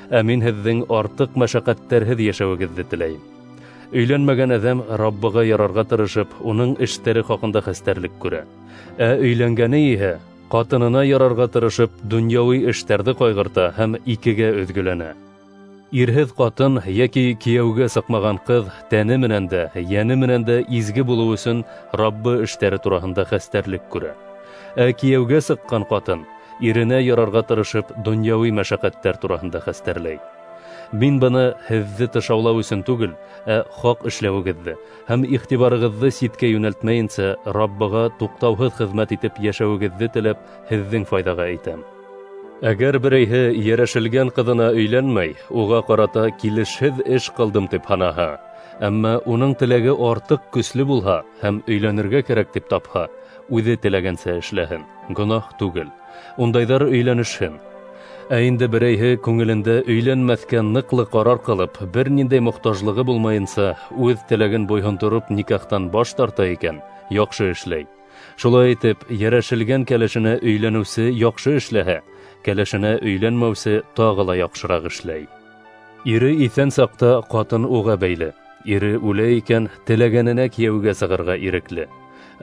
Ә мин һеҙҙең артыҡ мәшәҡәттәрһеҙ йәшәүегеҙҙе теләйем. Өйләнмәгән әҙәм Раббыға ярарға тырышып, уның эштәре хаҡында хәстәрлек күрә. Ә өйләнгәне иһә ҡатынына ярарға тырышып, донъяуи эштәрҙе ҡайғырта һәм икегә өҙгөләнә. Ирһеҙ ҡатын йәки кейәүгә сыҡмаған ҡыҙ тәне менән дә, йәне менән дә изге булыу өсөн Раббы эштәре тураһында хәстәрлек күрә. Ә кейәүгә сыҡҡан ҡатын иренә ярарға тырышып, донъяуи мәшәҡәттәр тураһында хәстәрләй. Мин быны һеҙҙе тышаулау өсөн түгел, ә хаҡ эшләүегеҙҙе һәм иғтибарығыҙҙы ситкә йүнәлтмәйенсә Раббыға туҡтауһыҙ хеҙмәт итеп йәшәүегеҙҙе теләп, һеҙҙең файҙаға әйтәм. Әгәр берәйһе йәрәшелгән ҡыҙына өйләнмәй, уға ҡарата килешһеҙ эш ҡылдым тип һанаһа, әммә уның теләге артыҡ көслө булһа һәм өйләнергә кәрәк тип тапһа, үҙе теләгәнсә эшләһен, гонаһ түгел. Ундайҙар өйләнешһен. Ә инде берәйһе күңелендә өйләнмәҫкә ныҡлы ҡарар ҡылып, бер ниндәй мохтажлығы булмайынса, үҙ теләген буйһондороп никахтан баш тарта икән, яҡшы эшләй. Шулай итеп, йәрәшелгән кәләшенә өйләнеүсе яҡшы эшләһә, кәләшенә өйләнмәүсе тағы ла яҡшыраҡ эшләй. Ире иҫән саҡта ҡатын уға бәйле. Ире үлә икән, теләгәненә кейәүгә сығырға ирекле.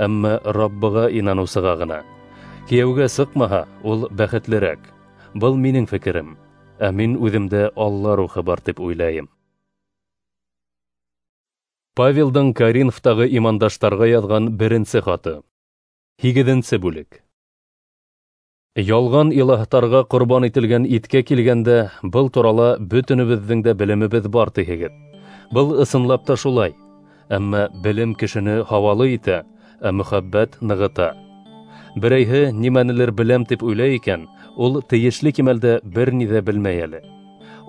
Әммә Раббыға инаныусыға ғына. Кейәүгә сыҡмаһа, ул бәхетлерәк. Был минең фекерем. Ә мин үҙемдә Алла рухы бар тип уйлайым. Павелдың Коринфтағы имандаштарға яҙған беренсе хаты. Һигеҙенсе бүлек. Ялған илаһтарға ҡорбан ителгән иткә килгәндә, был турала бөтөнөбөҙҙөң дә белемебеҙ бар тиһегеҙ. Был ысынлап та шулай. Әммә белем кешене һауалы итә, ә мөхәббәт нығыта. Берәйһе нимәнелер беләм тип уйлай икән, ул тейешле кимәлдә бер ни ҙә белмәй әле.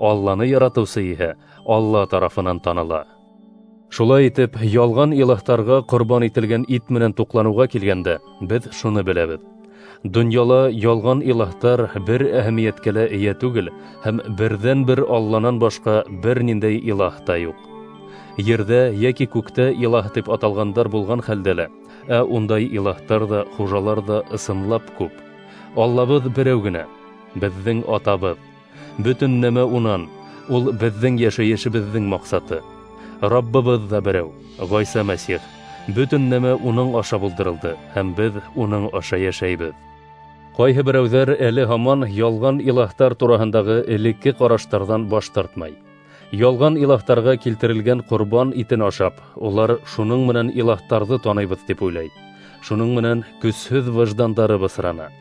Алланы яратыусы иһә Алла тарафынан таныла. Шулай итеп, ялған илаһтарға ҡорбан ителгән ит менән туҡланыуға килгәндә, беҙ шуны беләбеҙ. Донъяла ялған илаһтар бер әһәмиәткә лә эйә түгел һәм берҙән-бер Алланан башҡа бер ниндәй илаһ та юҡ. Ерҙә йәки күктә илаһ тип аталғандар булған хәлдә лә, ә ундай илаһтар ҙа, хужалар ҙа ысынлап күп. Аллабыҙ берәү генә, беҙҙең атабыҙ. Бөтөн нәмә унан, ул беҙҙең йәшәйешебеҙҙең маҡсаты. Раббыбыҙ ҙа берәү, Ғайса Мәсих. Бөтөн нәмә уның аша булдырылды һәм беҙ уның аша йәшәйбеҙ. Ҡайһы берәүҙәр әле һаман ялған илаһтар тураһындағы элекке ҡараштарҙан баш тартмай. Ялған илаһтарға килтерелгән ҡорбан итен ашап, улар шуның менән илаһтарҙы таныйбыҙ тип уйлай. Шуның менән көсһөҙ выждандары бысрана.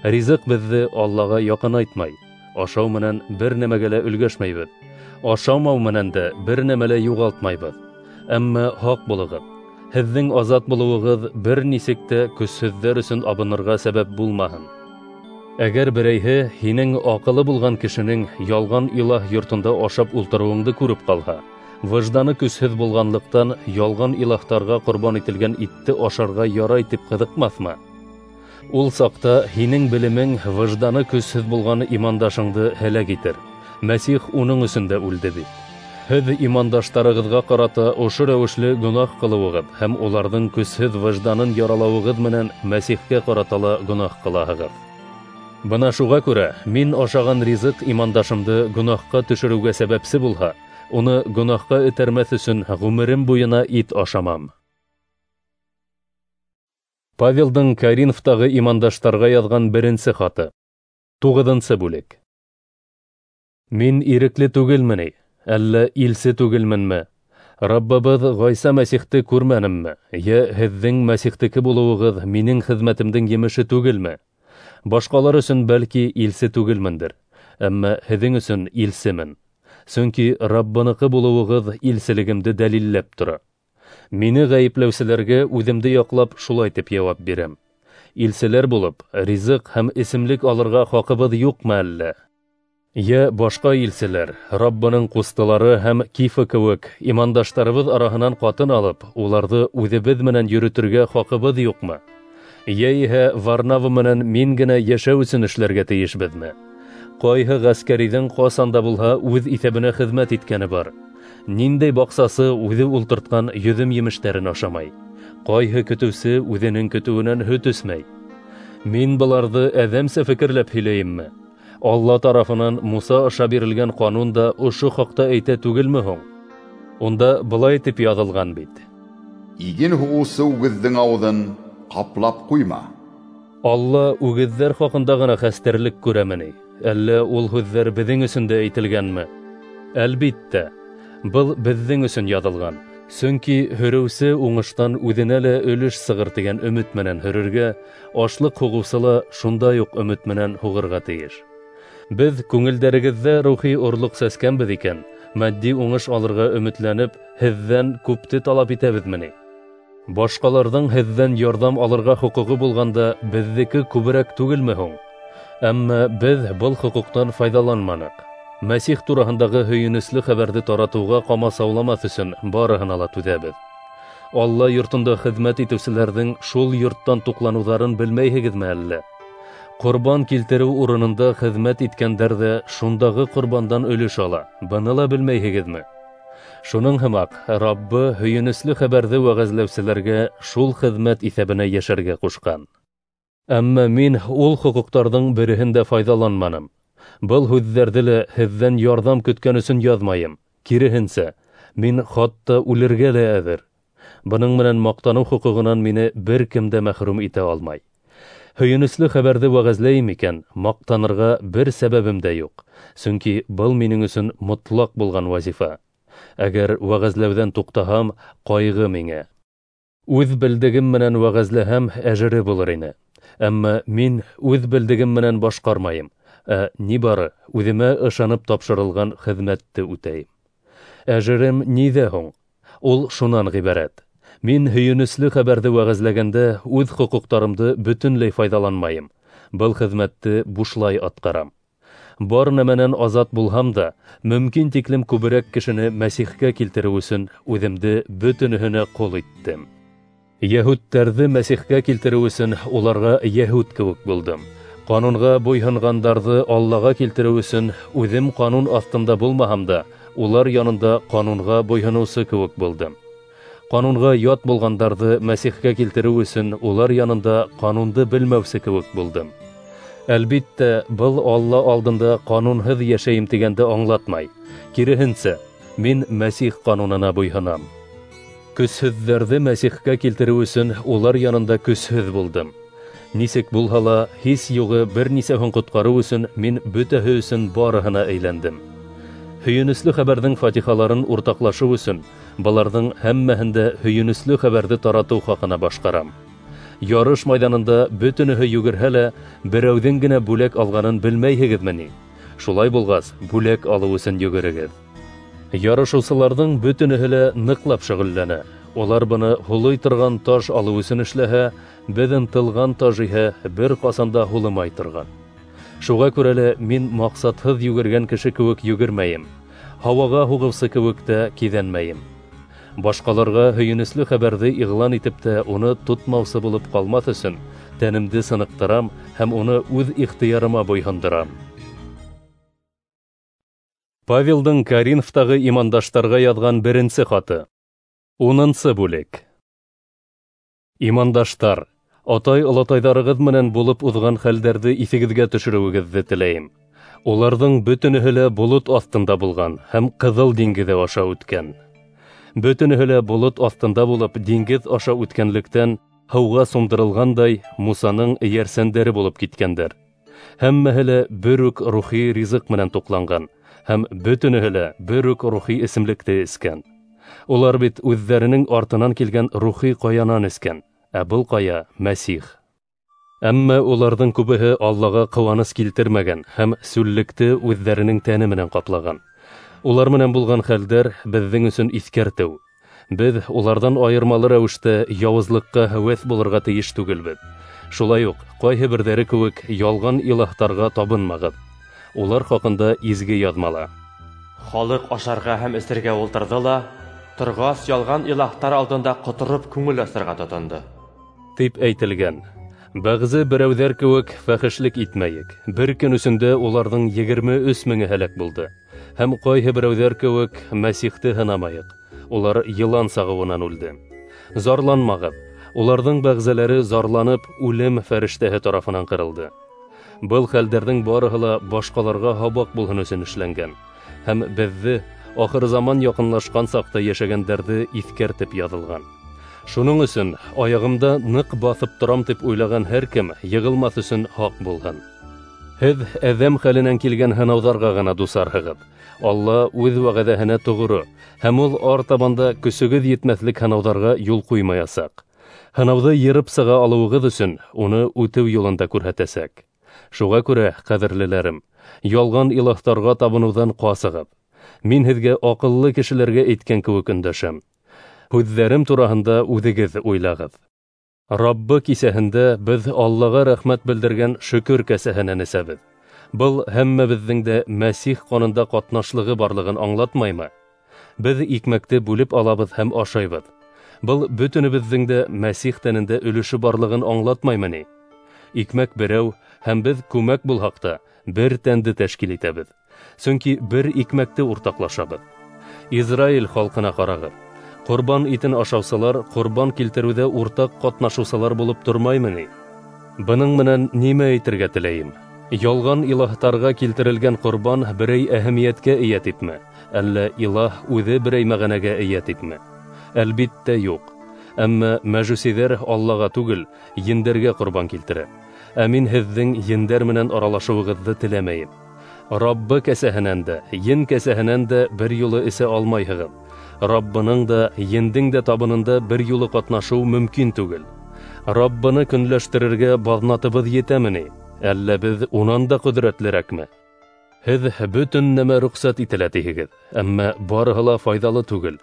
Ризыҡ беҙҙе Аллаға яҡынайтмай. Ашау менән бер нәмәгә лә өлгәшмәйбеҙ. Ашамау менән дә бер нәмә лә юғалтмайбыҙ. Әммә һаҡ булығыҙ. Һеҙҙең азат булыуығыҙ бер нисек тә көсһөҙҙәр өсөн абынырға сәбәп булмаһын. Әгәр берәйһе һинең аҡылы булған кешенең ялған илаһ йортонда ашап ултырыуыңды күреп ҡалһа, выжданы көсһөҙ булғанлыҡтан ялған илаһтарға ҡорбан ителгән итте ашарға ярай тип ҡыҙыҡмаҫмы? Ул саҡта һинең белемең выжданы көсһөҙ булған имандашыңды һәләк итер. Мәсих уның өсөн дә үлде бит. Һеҙ имандаштарығыҙға ҡарата ошо рәүешле гонаһ ҡылыуығыҙ һәм уларҙың көсһөҙ выжданын яралауығыҙ менән Мәсихкә ҡарата ла гонаһ ҡылаһығыҙ. Бына шуға күрә мин ашаған ризыҡ имандашымды гонаһҡа төшөрөүгә сәбәпсе булһа, уны гонаһҡа этәрмәҫ өсөн ғүмерем буйына ит ашамам. Павелдың Коринфтағы имандаштарға яҙған беренсе хаты. Туғыҙынсы бүлек. Мин ирекле түгелме ни? Әллә илсе түгелменме? Раббыбыҙ Ғайса Мәсихте күрмәнемме? Йә һеҙҙең Мәсихтеке булыуығыҙ минең хеҙмәтемдең емеше түгелме? Башҡалар өсөн бәлки илсе түгелмендер, әммә һеҙҙең өсөн илсемен. Сөнки Раббыныҡы булыуығыҙ илселегемде дәлилләп тора. Мине ғәйепләүселәргә үҙемде яҡлап шулай тип яуап бирәм. Илселәр булып, ризыҡ һәм эсемлек алырға хаҡыбыҙ юҡмы әллә? Йә башҡа илселәр, Раббының ҡустылары һәм Кифа кеүек имандаштарыбыҙ араһынан ҡатын алып, уларҙы үҙебеҙ менән йөрөтөргә хаҡыбыҙ юҡмы? Йә иһә Варнава менән мин генә йәшәү өсөн эшләргә тейешбеҙме? Ҡайһы ғәскәриҙең ҡасан да булһа үҙ иҫәбенә хеҙмәт иткәне бар? Ниндәй баҡсасы үҙе ултыртҡан йөҙөм емештәрен ашамай? Ҡайһы көтөүсе үҙенең көтөүенән һөт эсмәй? Мин быларҙы әҙәмсә фекерләп һөйләйемме? Алла тарафынан Муса аша бирелгән ҡанун да ошо хаҡта әйтә түгелме һуң? Унда былай тип яҙылған бит:
Иген һуғыусы үгеҙҙең ауыҙын ҡаплап ҡуйма.
Алла үгеҙҙәр хаҡында ғына хәстәрлек күрәме ни? Әллә ул һүҙҙәр беҙҙең өсөн дә әйтелгәнме? Әлбиттә, был беҙҙең өсөн яҙылған. Сөнки һөрөүсе уңыштан үҙенә лә өлөш сығыр тигән өмөт менән һөрөргә, ашлыҡ һуғыусы ла шундай уҡ өмөт менән һуғырға тейеш. Беҙ күңелдәрегеҙҙә рухи орлоҡ сәскәнбеҙ икән, матди уңыш алырға өмөтләнеп, һеҙҙән күпте талап итәбеҙме ни? Башҡаларҙың һеҙҙән ярҙам алырға хоҡуғы булғанда, беҙҙеке күберәк түгелме һуң? Әммә беҙ был хоҡуҡтан файҙаланманыҡ. Мәсих тураһындағы һөйөнөслө хәбәрҙе таратыуға ҡамасауламаҫ өсөн барыһына ла түҙәбеҙ. Алла йортонда хеҙмәт итеүселәрҙең шул йорттан туҡланыуҙарын белмәйһегеҙме әллә? Ҡорбан килтереү урынында хеҙмәт иткәндәр ҙә шундағы ҡорбандан өлөш ала. Быны ла белмәйһегеҙме? Шуның һымаҡ Раббы һөйөнөслө хәбәрҙе вәғәзләүселәргә шул хеҙмәт иҫәбенә йәшәргә ҡушҡан. Әммә мин ул хоҡуҡтарҙың береһен дә файҙаланманым. Был һүҙҙәрҙе лә һеҙҙән ярҙам көткән өсөн яҙмайым. Киреһенсә, мин хатта үлергә лә әҙер. Бының менән маҡтаныу хоҡуғынан мине бер кем дә мәхрүм итә алмай. Һөйөнөслө хәбәрҙе вәғәзләйем икән, маҡтанырға бер сәбәбем дә юҡ. Сөнки был минең өсөн мотлаҡ булған вазифа. Әгәр вәғәзләүҙән туҡтаһам, ҡайғы миңә. Үҙ белдегем менән вәғәзләһәм, әжере булыр ине. Әммә мин үҙ белдегем менән башҡармайым, ә ни бары үҙемә ышанып тапшырылған хеҙмәтте үтәйем. Әжерем ниҙә һуң? Ул шунан ғибәрәт: мин һөйөнөслө хәбәрҙе вәғәзләгәндә үҙ хоҡуҡтарымды бөтөнләй файҙаланмайым. Был хеҙмәтте бушлай атҡарам. Бар нәмәнән азат булһам да, мөмкин тиклем күберәк кешене Мәсихкә килтереү өсөн үҙемде бөтөнөһөнә ҡол иттем. Йәһүдтәрҙе Мәсихкә килтереү өсөн уларға йәһүд кеүек булдым. Ҡанунға буйһонғандарҙы Аллаға килтереү өсөн үҙем ҡанун аҫтында булмаһам да, улар янында ҡанунға буйһоноусы кеүек булдым. Ҡанунға ят булғандарҙы Мәсихкә килтереү өсөн улар янында ҡанунды белмәүсе кеүек булдым. Әлбиттә, был Алла алдында ҡанунһыҙ йәшәйем тигәнде аңлатмай. Киреһенсә, мин Мәсих ҡанунына буйһонам. Көсһөҙҙәрҙе Мәсихкә килтереү өсөн улар янында көсһөҙ булдым. Нисек булһа ла, һис юғы бер нисәһен ҡотҡарыу өсөн мин бөтәһе өсөн барыһына әйләндем. Һөйөнөслө хәбәрҙең фатихаларын уртаҡлашыу өсөн быларҙың һәммәһен дә һөйөнөслө хәбәрҙе таратыу хаҡына башҡарам. Ярыш майҙанында бөтөнөһө йүгерһә лә, берәүҙең генә бүләк алғанын белмәйһегеҙме ни? Шулай булғас, бүләк алыу өсөн йүгерегеҙ. Ярышыусыларҙың бөтөнөһө лә ныҡлап шөғөлләнә. Улар быны һулый торған таш алыу өсөн эшләһә, беҙ ынтылған таш иһә бер ҡасан да һулымай торған. Шуға күрә лә мин маҡсатһыҙ йүгергән кеше кеүек йүгермәйем, һауаға һуғыусы кеүек тә киҙәнмәйем. Башҡаларға һөйөнөслө хәбәрҙе иғлан итеп тә уны тотмаусы булып ҡалмаҫ өсөн тәнемде сыныҡтырам һәм уны үҙ ихтыярыма буйһондорам. Павелдың Коринфтағы имандаштарға яҙған беренсе хаты. Унынсы бүлек. Имандаштар, атай-олатайҙарығыҙ менән булып уҙған хәлдәрҙе иҫегеҙгә төшөрөүегеҙҙе теләйем. Уларҙың бөтөнөһө лә болот аҫтында булған һәм Ҡыҙыл диңгеҙе аша үткән. Бөтөнөһө лә болот аҫтында булып диңгеҙ аша үткәнлектән һыуға сумдырылғандай Мусаның эйәрсәндәре булып киткәндәр. Һәммәһе лә бер үк рухи ризыҡ менән туҡланған һәм бөтөнөһө лә бер үк рухи эсемлекте эскән. Улар бит үҙҙәренең артынан килгән рухи ҡаянан эскән, ә был ҡая Мәсих. Әммә уларҙың күбеһе Аллаға ҡыуаныс килтермәгән һәм сүллекте үҙҙәренең тәне менән ҡаплаған. Улар менән булған хәлдәр беҙҙең өсөн иҫкәртеү. Беҙ уларҙан айырмалы рәүештә яуызлыҡҡа һәүәҫ булырға тейеш түгелбеҙ. Шулай уҡ ҡайһы берҙәре кеүек ялған илаһтарға табынмағыҙ. Улар хаҡында изге яҙмала:
Халыҡ ашарға һәм эсергә ултырҙы ла, торғас ялған илаһтар алдында ҡотороп күңел асырға тотондо,
тип әйтелгән. Бәғзе берәүҙәр кеүек фәхешлек итмәйек. Бер көн эсендә уларҙың егерме өс меңе һәләк булды. Һәм ҡайһы берәүҙәр кеүек Мәсихте һынамайыҡ. Улар йылан сағыуынан үлде. Зарланмағыҙ. Уларҙың бәғзеләре зарланып үлем фәрештәһе тарафынан ҡырылды. Был хәлдәрҙең барыһы ла башҡаларға һабаҡ булһын өсөн эшләнгән һәм беҙҙе ахыр заман яҡынлашҡан саҡта йәшәгәндәрҙе иҫкәртеп яҙылған. Шуның өсөн аяғымда ныҡ баҫып торам тип уйлаған һәр кем йығылмаҫ өсөн һаҡ булһын. Һеҙ әҙәм хәленән килгән һынауҙарға ғына дусарһығыҙ. Алла үҙ вәғәҙәһенә тоғро, һәм ул артабанда көсөгөҙ етмәҫлек һынауҙарға юл ҡуймаясаҡ. Һынауҙы йырып сыға алыуығыҙ өсөн уны үтеү юлын да күрһәтәсәк. Шуға күрә, ҡәҙерлеләрем, ялған илаһтарға табыныуҙан ҡасығыҙ. Мин һеҙгә аҡыллы кешеләргә әйткән кеүек өндәшәм. Һүҙҙәрем тураһында үҙегеҙ уйлағыҙ. Раббы кисәһендә беҙ Аллаға рәхмәт белдергән шөкөр кәсәһенән эсәбеҙ. Был һәммәбеҙҙең дә Мәсих ҡанында ҡатнашлығы барлығын аңлатмаймы? Беҙ икмәкте бүлеп алабыҙ һәм ашайбыҙ. Был бөтөнөбөҙҙөң дә Мәсих тәнендә өлөшө барлығын аңлатмаймы ни? Икмәк берәү һәм беҙ күмәк булһаҡ та бер тәнде тәшкил итәбеҙ. Сөнки бер икмәкте уртаҡлашабыҙ. Израиль халҡына ҡарағыҙ. Ҡорбан итен ашаусылар ҡорбан килтереүҙә уртаҡ ҡатнашыусылар булып тормаймы ни? Бының менән нимә әйтергә теләйем? Ялған илаһтарға килтерелгән ҡорбан берәй әһәмиәткә эйә типме? Әллә илаһ үҙе берәй мәғәнәгә эйә типме? Әлбиттә юҡ. Әммә мәжүсиҙәр Аллаға түгел, ендәргә ҡорбан килтерә. Ә мин һеҙҙең ендәр менән аралашыуығыҙҙы теләмәйем. Раббы кәсәһенән дә, ен кәсәһенән дә бер юлы эсә алмайһығыҙ. Раббының да, ендең дә табынында бер юлы ҡатнашыу мөмкин түгел. Раббыны көнләштерергә баҙнатыбыҙ етәме ни? Әллә беҙ унан да ҡөҙрәтлерәкме? Һеҙ бөтөн нәмә рөхсәт ителә тиһегеҙ, әммә барыһы ла файҙалы түгел.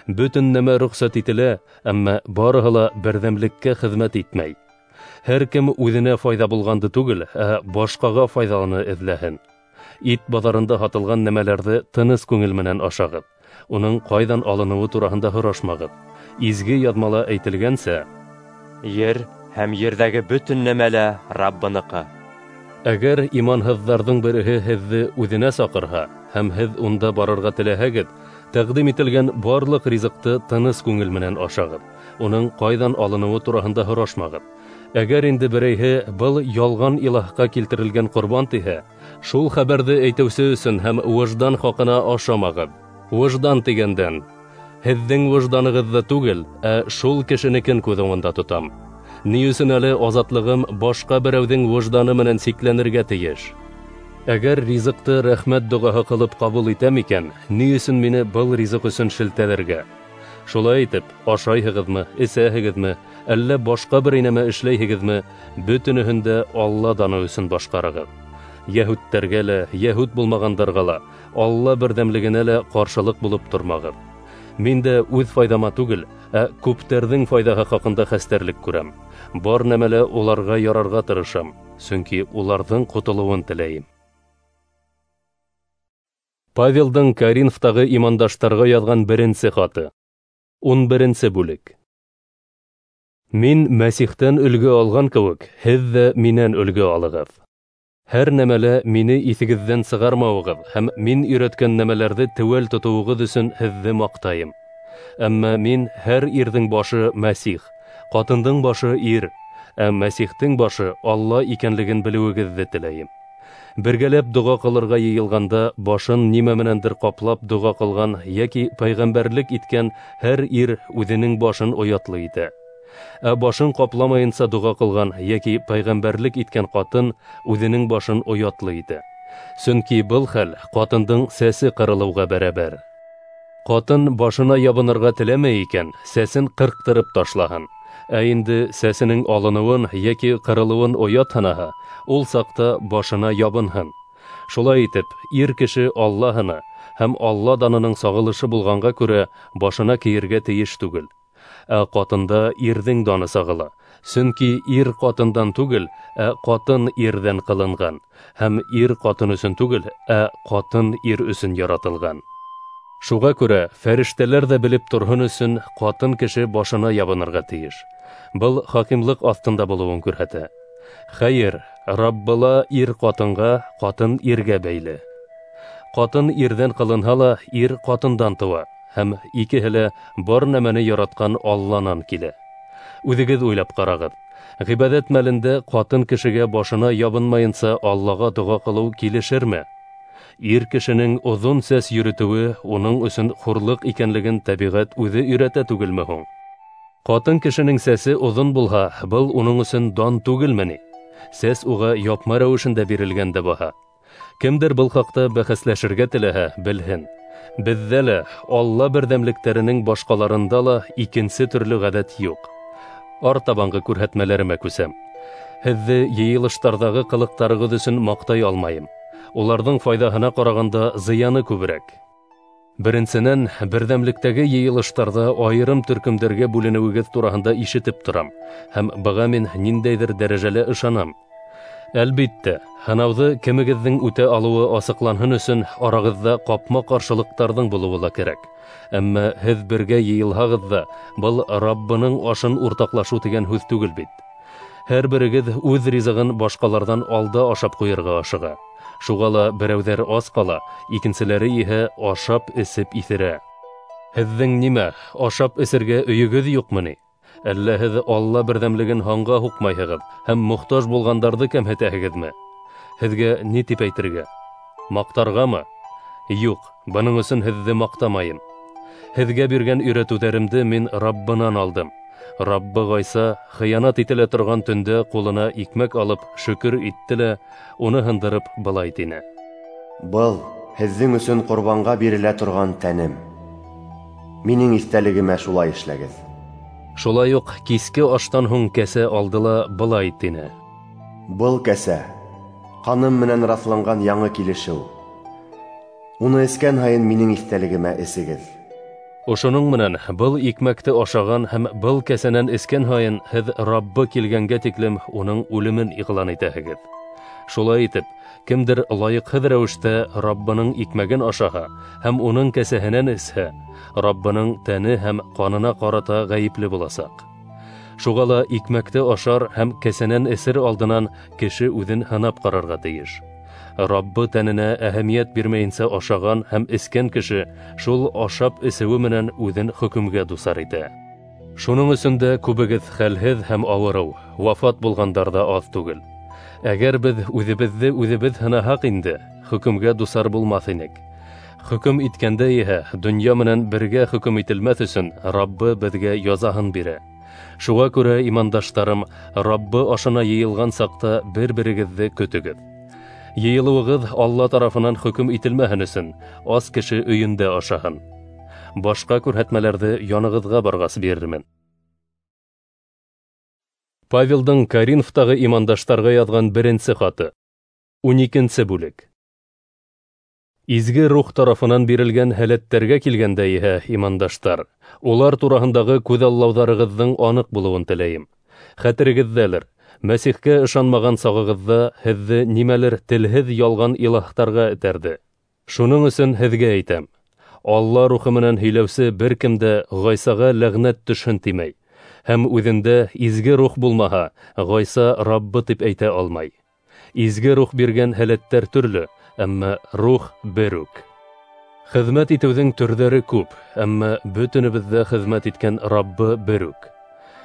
Бөтөн нәмә рөхсәт ителә, әммә барыһы ла берҙәмлеккә хеҙмәт итмәй. Һәр кем үҙенә файҙа булғанды түгел, ә башҡаға файҙалыны эҙләһен. Ит баҙарында һатылған нәмәләрҙе тыныс күңел менән ашағыҙ. Уның ҡайҙан алыныуы тураһында һорашмағыҙ. Изге яҙмала әйтелгәнсә,
ер һәм ерҙәге бөтөн нәмә лә Раббыныҡы.
Әгәр иманһыҙҙарҙың береһе һеҙҙе үҙенә саҡырһа һәм һеҙ унда барырға теләһәгеҙ, тәҡдим ителгән барлыҡ ризыҡты тыныс күңел менән ашағыҙ. Уның ҡайҙан алыныуы тураһында һорашмағыҙ. Әгәр инде берәйһе был ялған илаһҡа килтерелгән ҡорбан тиһә, шул хәбәрҙе әйтеүсе өсөн һәм выждан хаҡына ашамағыҙ. Выждан тигәндән, һеҙҙең выжданығыҙҙы түгел, ә шул кешенекен күҙ уңында тотам. Ни өсөн әле азатлығым башҡа берәүҙең выжданы менән сикләнергә тейеш? Әгәр ризыҡты рәхмәт доғаһы ҡылып ҡабул итәм икән, ни өсөн мине был ризыҡ өсөн шелтәләргә? Шулай итеп, ашайһығыҙмы, эсәһегеҙме, әллә башҡа бер нәмә эшләйһегеҙме, бөтөнөһөн дә Алла даны өсөн башҡарығыҙ. Йәһүттәргә лә, йәһүт булмағандарға ла, Алла берҙәмлегенә лә ҡаршылыҡ булып тормағыҙ. Мин дә үҙ файҙама түгел, ә күптәрҙең файҙаһы хаҡында хәстәрлек күрәм. Бар нәмәлә уларға ярарға тырышам, сөнки уларҙың ҡотолоуын теләйем. Павелдың Коринфтағы имандаштарға яҙған беренсе хаты. Ун беренсе бүлек. Мин Мәсихтән өлгө алған кеүек, һеҙ ҙә минән өлгө алығыҙ. Һәр нәмәлә мине иҫегеҙҙән сығармауығыҙ һәм мин өйрәткән нәмәләрҙе теүәл тотоуығыҙ өсөн һеҙҙе маҡтайым. Әммә мин һәр ирҙең башы Мәсих, ҡатындың башы ир, ә Мәсихтең башы Алла икәнлеген белеүегеҙҙе теләйем. Бергәләп доға ҡылырға йыйылғанда башын нимә менәндер ҡаплап доға ҡылған йәки пәйғәмбәрлек иткән һәр ир үҙенең башын оятлы итә. Ә башын ҡапламайынса доға ҡылған йәки пәйғәмбәрлек иткән ҡатын үҙенең башын оятлы итә. Сөнки был хәл ҡатындың сәсе ҡырылыуға бәрәбәр. Ҡатын башына ябынырға теләмәй икән, сәсен ҡырҡтырып ташлаһын. Ә инде сәсенең алыныуын йәки ҡырылыуын оят һанаһа, ул саҡта башына ябынһын. Шулай итеп, ир кеше Аллаһына һәм Алла данының сағылышы булғанға күрә башына кейергә тейеш түгел. Ә ҡатында ирҙең даны сағыла. Сөнки ир ҡатындан түгел, ә ҡатын ирҙән ҡылынған. Һәм ир ҡатын өсөн түгел, ә ҡатын ир өсөн яратылған. Шуға күрә фәрештәләр ҙә белеп торһон өсөн ҡатын кеше башына ябынырға тейеш. Был хакимлыҡ аҫтында булыуын күрһәтә. Хәйер, Раббыла ир ҡатынға, ҡатын иргә бәйле. Ҡатын ирҙән ҡылынһа ла, ир ҡатындан тыуа, һәм икеһе лә бар нәмәне яратҡан Алланан килә. Үҙегеҙ уйлап ҡарағыҙ. Ғибәҙәт мәлендә ҡатын кешегә башына ябынмайынса Аллаға доға ҡылыу килешерме? Ир кешенең оҙон сәс йөрөтөүе уның өсөн хурлыҡ икәнлеген тәбиғәт үҙе өйрәтә түгелме һуң? Ҡатын кешенең сәсе оҙон булһа, был уның өсөн дан түгелме ни? Сәс уға япма рәүешендә бирелгән дә баһа. Кемдер был хаҡта бәхәсләшергә теләһә, белһен. Беҙҙә лә, Алла берҙәмлектәренең башҡаларында ла икенсе төрлө ғәҙәт юҡ. Артабанғы күрһәтмәләремә күсәм. Һеҙҙе йыйылыштарҙағы ҡылыҡтарығыҙ өсөн маҡтай алмайым. Уларҙың файҙаһына ҡарағанда зыяны күберәк. Беренсенән, берҙәмлектәге йыйылыштарҙа айырым төркөмдәргә бүленеүегеҙ тураһында ишетеп торам, һәм быға мин ниндәйҙер дәрәжәлә ышанам. Әлбиттә, һынауҙы кемегеҙҙең үтә алыуы асыҡланһын өсөн арағыҙҙа ҡапма-ҡаршылыҡтарҙың булыуы ла кәрәк. Әммә һеҙ бергә йыйылһағыҙ ҙа, был Раббының ашын уртаҡлашыу тигән һүҙ түгел бит. Һәр берегеҙ үҙ ризығын башҡаларҙан алда ашап ҡуйырға ашыға. Шуға ла берәүҙәр ас ҡала, икенселәре иһә ашап эсеп иҫерә. Һеҙҙең нимә, ашап эсергә өйөгөҙ юҡмы ни? Әллә һеҙ Алла берҙәмлеген һанға һуҡмайһығыҙ һәм мохтаж булғандарҙы кәмһетәһегеҙме? Һеҙгә ни тип әйтергә? Маҡтарғамы? Юҡ, бының өсөн һеҙҙе маҡтамайым. Һеҙгә биргән өйрәтеүҙәремде мин Раббынан алдым. Раббы Ғайса хыянат ителә торған төндә ҡулына икмәк алып шөкөр итте лә, уны һындырып былай тине:
Был һеҙҙең өсөн ҡорбанға бирелә торған тәнем. Минең иҫтәлегемә шулай эшләгеҙ.
Шулай уҡ киске аштан һуң кәсә алды ла былай тине:
Был кәсә ҡаным менән раҫланған яңы килешеү. Уны эскән һайын минең иҫтәлегемә эсегеҙ.
Ошоноң менән был икмәкте ашаған һәм был кәсәнән эскән һайын һеҙ Раббы килгәнгә тиклем уның үлемен иғлан итәһегеҙ. Шулай итеп, кемдер лайыҡһыҙ рәүештә Раббының икмәген ашаһа һәм уның кәсәһенән эсһә, Раббының тәне һәм ҡанына ҡарата ғәйепле буласаҡ. Шуға ла икмәкте ашар һәм кәсәнән эсер алдынан кеше үҙен һынап ҡарарға тейеш. Раббы тәненә әһәмиәт бирмәйенсә ашаған һәм эскән кеше шул ашап эсеүе менән үҙен хөкөмгә дусар итә. Шуның өсөн дә күбегеҙ хәлһеҙ һәм ауырыу, вафат булғандар ҙа аҙ түгел. Әгәр беҙ үҙебеҙҙе үҙебеҙ һынаһаҡ инде, хөкөмгә дусар булмаҫ инек. Хөкөм иткәндә иһә донъя менән бергә хөкөм ителмәҫ өсөн Раббы беҙгә язаһын бирә. Шуға күрә, имандаштарым, Раббы ашына йыйылған саҡта бер-берегеҙҙе көтөгөҙ. Йыйылыуығыҙ Алла тарафынан хөкөм ителмәһен өсөн ас кеше өйөндә ашаһын. Башҡа күрһәтмәләрҙе янығыҙға барғас бирермен. Павелдың Коринфтағы имандаштарға яҙған беренсе хаты. Ун икенсе бүлек. Изге рух тарафынан бирелгән һәләттәргә килгәндә иһә, имандаштар, улар тураһындағы күҙаллауҙарығыҙҙың аныҡ булыуын теләйем. Хәтерегеҙҙәлер, Мәсихкә ышанмаған сағығыҙҙа һеҙҙе нимәлер телһеҙ ялған илаһтарға этәрҙе. Шуның өсөн һеҙгә әйтәм: Алла рухы менән һөйләүсе бер кем дә Ғайсаға ләғнәт төшһөн тимәй, һәм үҙендә изге рух булмаһа, Ғайса Раббы тип әйтә алмай. Изге рух биргән һәләттәр төрлө, әммә рух бер үк. Хеҙмәт итеүҙең төрҙәре күп, әммә бөтөнөбөҙҙә хеҙмәт иткән Раббы бер үк.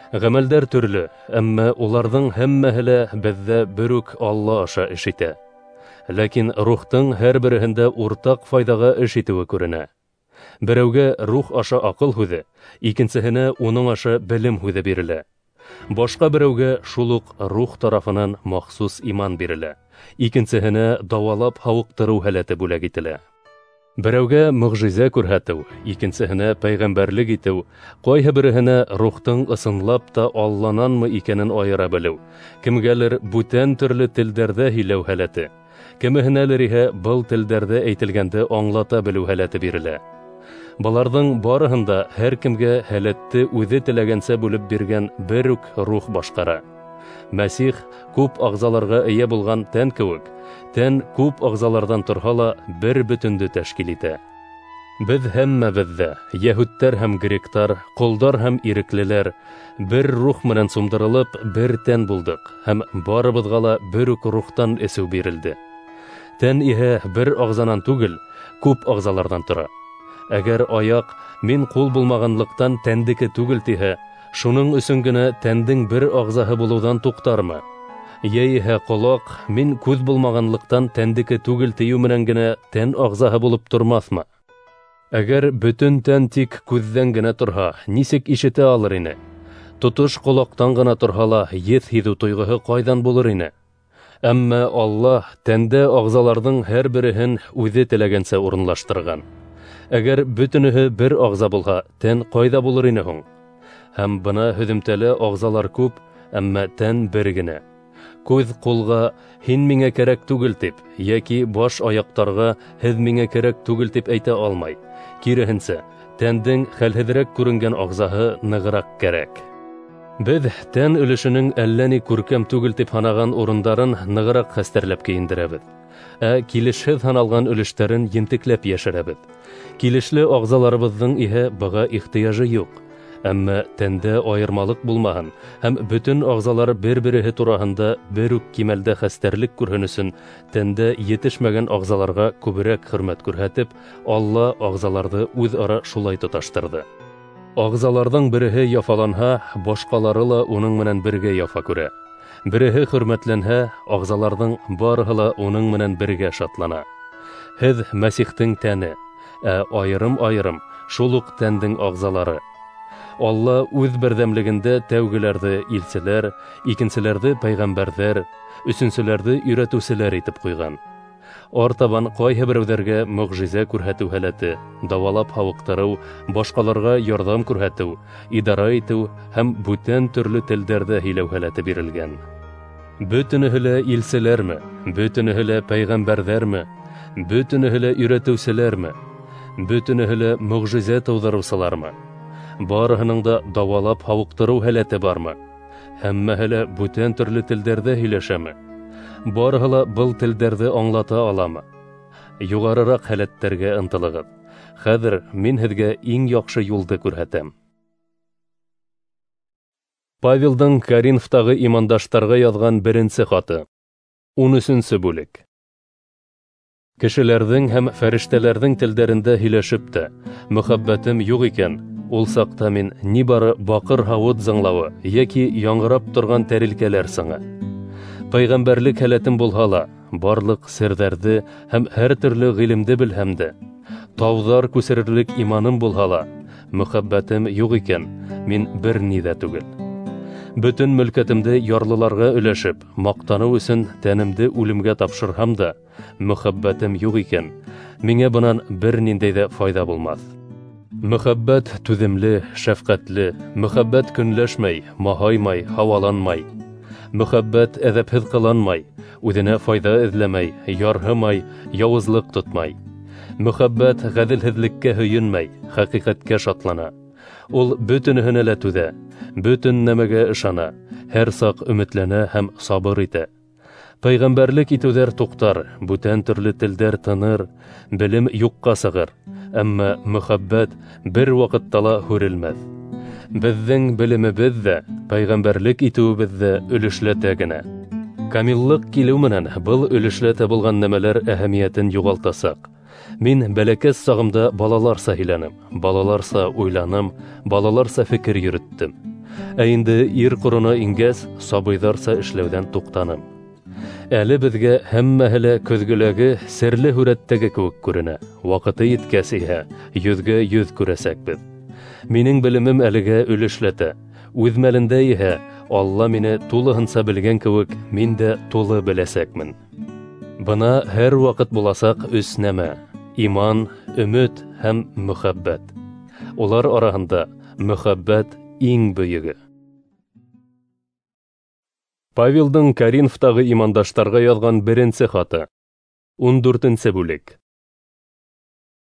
Ғәмәлдәр төрлө, әммә уларҙың һәммәһе лә беҙҙә бер үк Алла аша эш итә. Ләкин рухтың һәр береһендә уртаҡ файҙаға эш итеүе күренә. Берәүгә рух аша аҡыл һүҙе, икенсеһенә уның аша белем һүҙе бирелә. Башҡа берәүгә шул уҡ рух тарафынан махсус иман бирелә, икенсеһенә дауалап һауыҡтырыу һәләте бүләк ителә. Берәүгә мөғжизә күрһәтеү, икенсеһенә пәйғәмбәрлек итеү, ҡайһы береһенә рухтың ысынлап та Аллананмы икәнен айыра белеү, кемгәлер бүтән төрлө телдәрҙә һөйләү һәләте, кемеһенәлер иһә был телдәрҙә әйтелгәнде аңлата белеү һәләте бирелә. Быларҙың барыһын да һәр кемгә һәләтте үҙе теләгәнсә бүлеп биргән бер үк рух башҡара. Мәсих күп ағзаларға эйә булған тән кеүек, тән күп ағзаларҙан торһа ла бер бөтөндө тәшкил итә. Беҙ һәммәбеҙ ҙә, йәһүдтәр һәм гректар, ҡолдар һәм иреклеләр, бер рух менән сумдырылып, бер тән булдыҡ һәм барыбыҙға ла бер үк рухтан эсеү бирелде. Тән иһә бер ағзанан түгел, күп ағзаларҙан тора. Әгәр аяҡ мин ҡул булмағанлыҡтан тәндеке түгел тиһә, Шуның өсөн генә тәндең бер ағзаһы булыуҙан туҡтармы? Йә иһә ҡолаҡ, мин күҙ булмағанлыҡтан тәндеке түгел тиеү менән генә тән ағзаһы булып тормаҫмы? Әгәр бөтөн тән тик күҙҙән генә торһа, нисек ишетә алыр ине? Тотош ҡолаҡтан ғына торһа ла, еҫ һиҙеү тойғоһо ҡайҙан булыр ине? Әммә Аллаһ тәндә ағзаларҙың һәр береһен үҙе теләгәнсә урынлаштырған. Әгәр бөтөнөһө бер ағза булһа, тән ҡайҙа булыр ине һуң? Һәм бына һөҙөмтәлә ағзалар күп, әммә тән бер генә. Күҙ ҡулға һин миңә кәрәк түгел тип, йәки баш аяҡтарға һеҙ миңә кәрәк түгел тип әйтә алмай. Киреһенсә, тәндең хәлһеҙерәк күренгән ағзаһы нығыраҡ кәрәк. Беҙ тән өлөшөнөң әллә ни күркәм түгел тип һанаған урындарын нығыраҡ хәстәрләп кейендерәбеҙ. Ә килешһеҙ һаналған өлөштәрен ентекләп йәшерәбеҙ. Килешле ағзаларыбыҙҙың иһә быға ихтыяжы юҡ. Әммә тәндә айырмалыҡ булмаһын һәм бөтөн ағзалар бер-береһе тураһында бер үк кимәлдә хәстәрлек күрһен өсөн тәндә етешмәгән ағзаларға күберәк хөрмәт күрһәтеп, Алла ағзаларҙы үҙ-ара шулай тоташтырҙы. Ағзаларҙың береһе яфаланһа, башҡалары ла уның менән бергә яфа күрә. Береһе хөрмәтләнһә, ағзаларҙың барыһы ла уның менән бергә шатлана. Һеҙ Мәсихтең тәне, ә айырым-айырым шул уҡ тәндең ағзалары. Алла үҙ берҙәмлегендә тәүгеләрҙе илселәр, икенселәрҙе пәйғәмбәрҙәр, өсөнсөләрҙе өйрәтеүселәр итеп ҡуйған. Артабан ҡайһы берәүҙәргә мөғжизә күрһәтеү һәләте, дауалап һауыҡтырыу, башҡаларға ярҙам күрһәтеү, идара итеү һәм бүтән төрлө телдәрҙә һөйләү һәләте бирелгән. Бөтөнөһө лә илселәрме, бөтөнөһө лә пәйғәмбәрҙәрме, бөтөнөһө лә өйрәтеүселәрме, бөтөнөһө лә мөғжизә тыуҙырыусылармы? Барыһының да дауалап һауыҡтырыу һәләте бармы? Һәммәһе лә бүтән төрлө телдәрҙә һөйләшәме? Барыһы ла был телдәрҙе аңлата аламы? Юғарыраҡ һәләттәргә ынтылығыҙ. Хәҙер мин һеҙгә иң яҡшы юлды күрһәтәм. Павелдың Коринфтағы имандаштарға яҙған беренсе хаты. Ун өсөнсө бүлек. Кешеләрҙең һәм фәрештәләрҙең телдәрендә һөйләшеп тә, мөхәббәтем юҡ икән, ул саҡта мин ни бары баҡыр һауыт зыңлауы йәки яңғырап торған тәрилкәләр сыңы. Пәйғәмбәрлек һәләтем булһа ла, барлыҡ серҙәрҙе һәм һәр төрлө ғилемде белһәм дә, тауҙар күсерерлек иманым булһа ла, мөхәббәтем юҡ икән, мин бер ни ҙә түгел. Бөтөн мөлкәтемде ярлыларға өләшеп, маҡтаныу өсөн тәнемде үлемгә тапшырһам да, мөхәббәтем юҡ икән, миңә бынан бер ниндәй ҙә файҙа булмаҫ. Мөхәббәт түҙемле, шәфҡәтле, мөхәббәт көнләшмәй, маһаймай, һауаланмай. Мөхәббәт әҙәпһеҙ ҡыланмай, үҙенә файҙа эҙләмәй, ярһымай, яуызлыҡ тотмай. Мөхәббәт ғәҙелһеҙлеккә һөйөнмәй, хәҡиҡәткә шатлана. Ул бөтөнөһөнә лә түҙә, бөтөн нәмәгә ышана, һәр саҡ өмөтләнә һәм сабыр итә. Пәйғәмбәрлек итеүҙәр туҡтар, бүтән төрлө телдәр тыныр, белем юҡҡа сығыр, әммә мөхәббәт бер ваҡытта ла һүрелмәҫ. Беҙҙең белемебеҙ ҙә, пәйғәмбәрлек итеүебеҙ ҙә өлөшләтә генә. Камиллыҡ килеү менән был өлөшләтә булған нәмәләр әһәмиәтен юғалтасаҡ. Мин бәләкәс сағымда балаларса һөйләнем, балаларса уйланым, балаларса фекер йөрөттөм. Ә инде ир ҡорона ингәс, сабыйҙарса эшләүҙән туҡтаным. Әле беҙгә һәммәһе лә көҙгөләге серле һүрәттәге кеүек күренә. Ваҡыты еткәс иһә, йөҙгә йөҙ күрәсәкбеҙ. Минең белемем әлегә өлөшләтә. Үҙ мәлендә иһә, Алла мине тулыһынса белгән кеүек, мин дә тулы беләсәкмен. Бына һәр ваҡыт буласаҡ өс нәмә: иман, өмөт һәм мөхәббәт. Улар араһында мөхәббәт иң бөйөгө. Павелдың Коринфтағы имандаштарға яҙған беренсе хаты. Ун дүртенсе бүлек.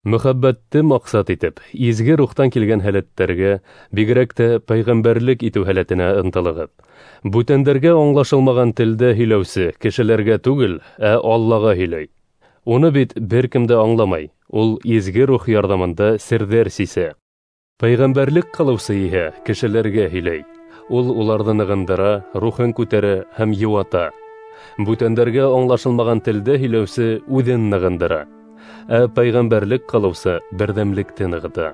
Мөхәббәтте маҡсат итеп, изге рухтан килгән һәләттәргә, бигерәк тә пәйғәмбәрлек итеү һәләтенә ынтылығыҙ. Бүтәндәргә аңлашылмаған телдә һөйләүсе кешеләргә түгел, ә Аллаға һөйләй. Уны бит бер кем дә аңламай, ул изге рух ярҙамында серҙәр сисә. Пәйғәмбәрлек ҡылыусы иһә кешеләргә һөйләй. Ул уларҙы нығындыра, рухын күтәрә һәм йыуата. Бүтәндәргә аңлашылмаған телдә һөйләүсе үҙен нығындыра. Ә пәйғәмбәрлек ҡылыусы берҙәмлекте нығыта.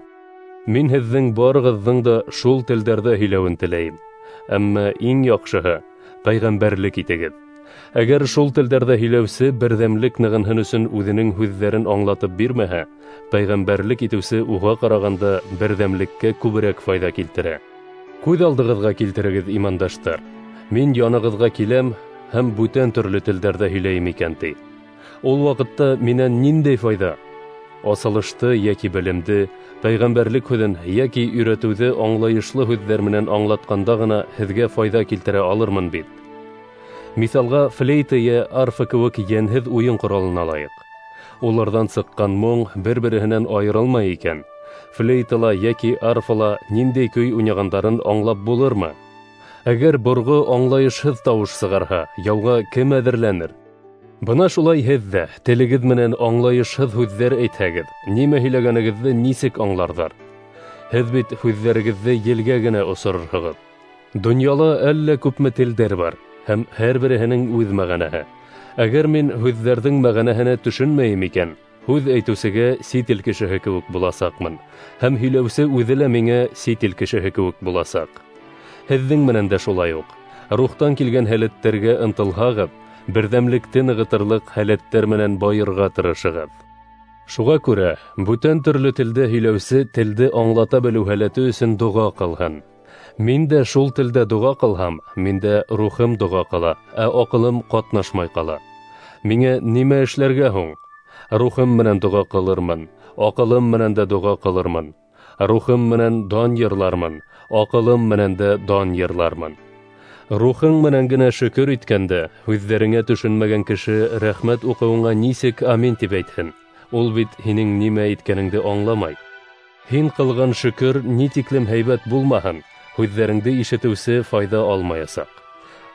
Мин һеҙҙең барығыҙҙың да шул телдәрҙә һөйләүен теләйем. Әммә иң яҡшыһы пәйғәмбәрлек итегеҙ. Әгәр шул телдәрҙә һөйләүсе берҙәмлек нығынһын өсөн үҙенең һүҙҙәрен аңлатып бирмәһә, пәйғәмбәрлек итеүсе уға ҡарағанда берҙәмлеккә күберәк файҙа килтерә. Күҙ алдығыҙға килтерегеҙ, имандаштар. Мин янығыҙға киләм һәм бүтән төрлө телдәрҙә һөйләйем икән, ти. Ул ваҡытта минән ниндәй файҙа? Асылышты йәки белемде, пәйғәмбәрлек һүҙен йәки өйрәтеүҙе аңлайышлы һүҙҙәр менән аңлатҡанда ғына һеҙгә файҙа килтерә алырмын бит. Миҫалға флейта йә арфа кеүек йәнһеҙ уйын ҡоралын алайыҡ. Уларҙан сыҡҡан моң бер-береһенән айырылмай икән, флейтала йәки арфала ниндәй көй уйнағандарын аңлап булырмы? Әгәр борғо аңлайышһыҙ тауыш сығарһа, яуға кем әҙерләнер? Бына шулай һеҙ ҙә телегеҙ менән аңлайышһыҙ һүҙҙәр әйтһәгеҙ, нимә һөйләгәнегеҙҙе нисек аңларҙар? Һеҙ бит һүҙҙәрегеҙҙе елгә генә осорорһоғоҙ. Донъяла әллә күпме телдәр бар, һәм һәр береһенең үҙ мәғәнәһе. Әгәр мин һүҙҙәрҙең мәғәнәһенә төшөнмәйем икән, һүҙ әйтеүсегә сит ил кешеһе кеүек буласаҡмын, һәм һөйләүсе үҙе лә миңә сит ил кешеһе кеүек буласаҡ. Һеҙҙең менән дә шулай уҡ. Рухтан килгән һәләттәргә ынтылһағыҙ, берҙәмлекте нығытырлыҡ һәләттәр менән байырға тырышығыҙ. Шуға күрә бүтән төрлө телдә һөйләүсе телде аңлата белеү һәләте өсөн доға ҡылһын. Мин дә шул телдә доға ҡылһам, миндә рухым доға ҡыла, ә аҡылым ҡатнашмай ҡала. Миңә нимә эшләргә һуң? Рухым менән доға ҡылырмын, аҡылым менән дә доға ҡылырмын. Рухым менән дан йырлармын, аҡылым менән дә дан йырлармын. Рухың менән генә шөкөр иткәндә, һүҙҙәреңә төшөнмәгән кеше рәхмәт уҡыуыңа нисек амин тип әйтһен? Ул бит һинең нимә әйткәнеңде аңламай. Һин ҡылған шөкөр ни тиклем һәйбәт булмаһын, һүҙҙәреңде ишетеүсе файҙа алмаясаҡ.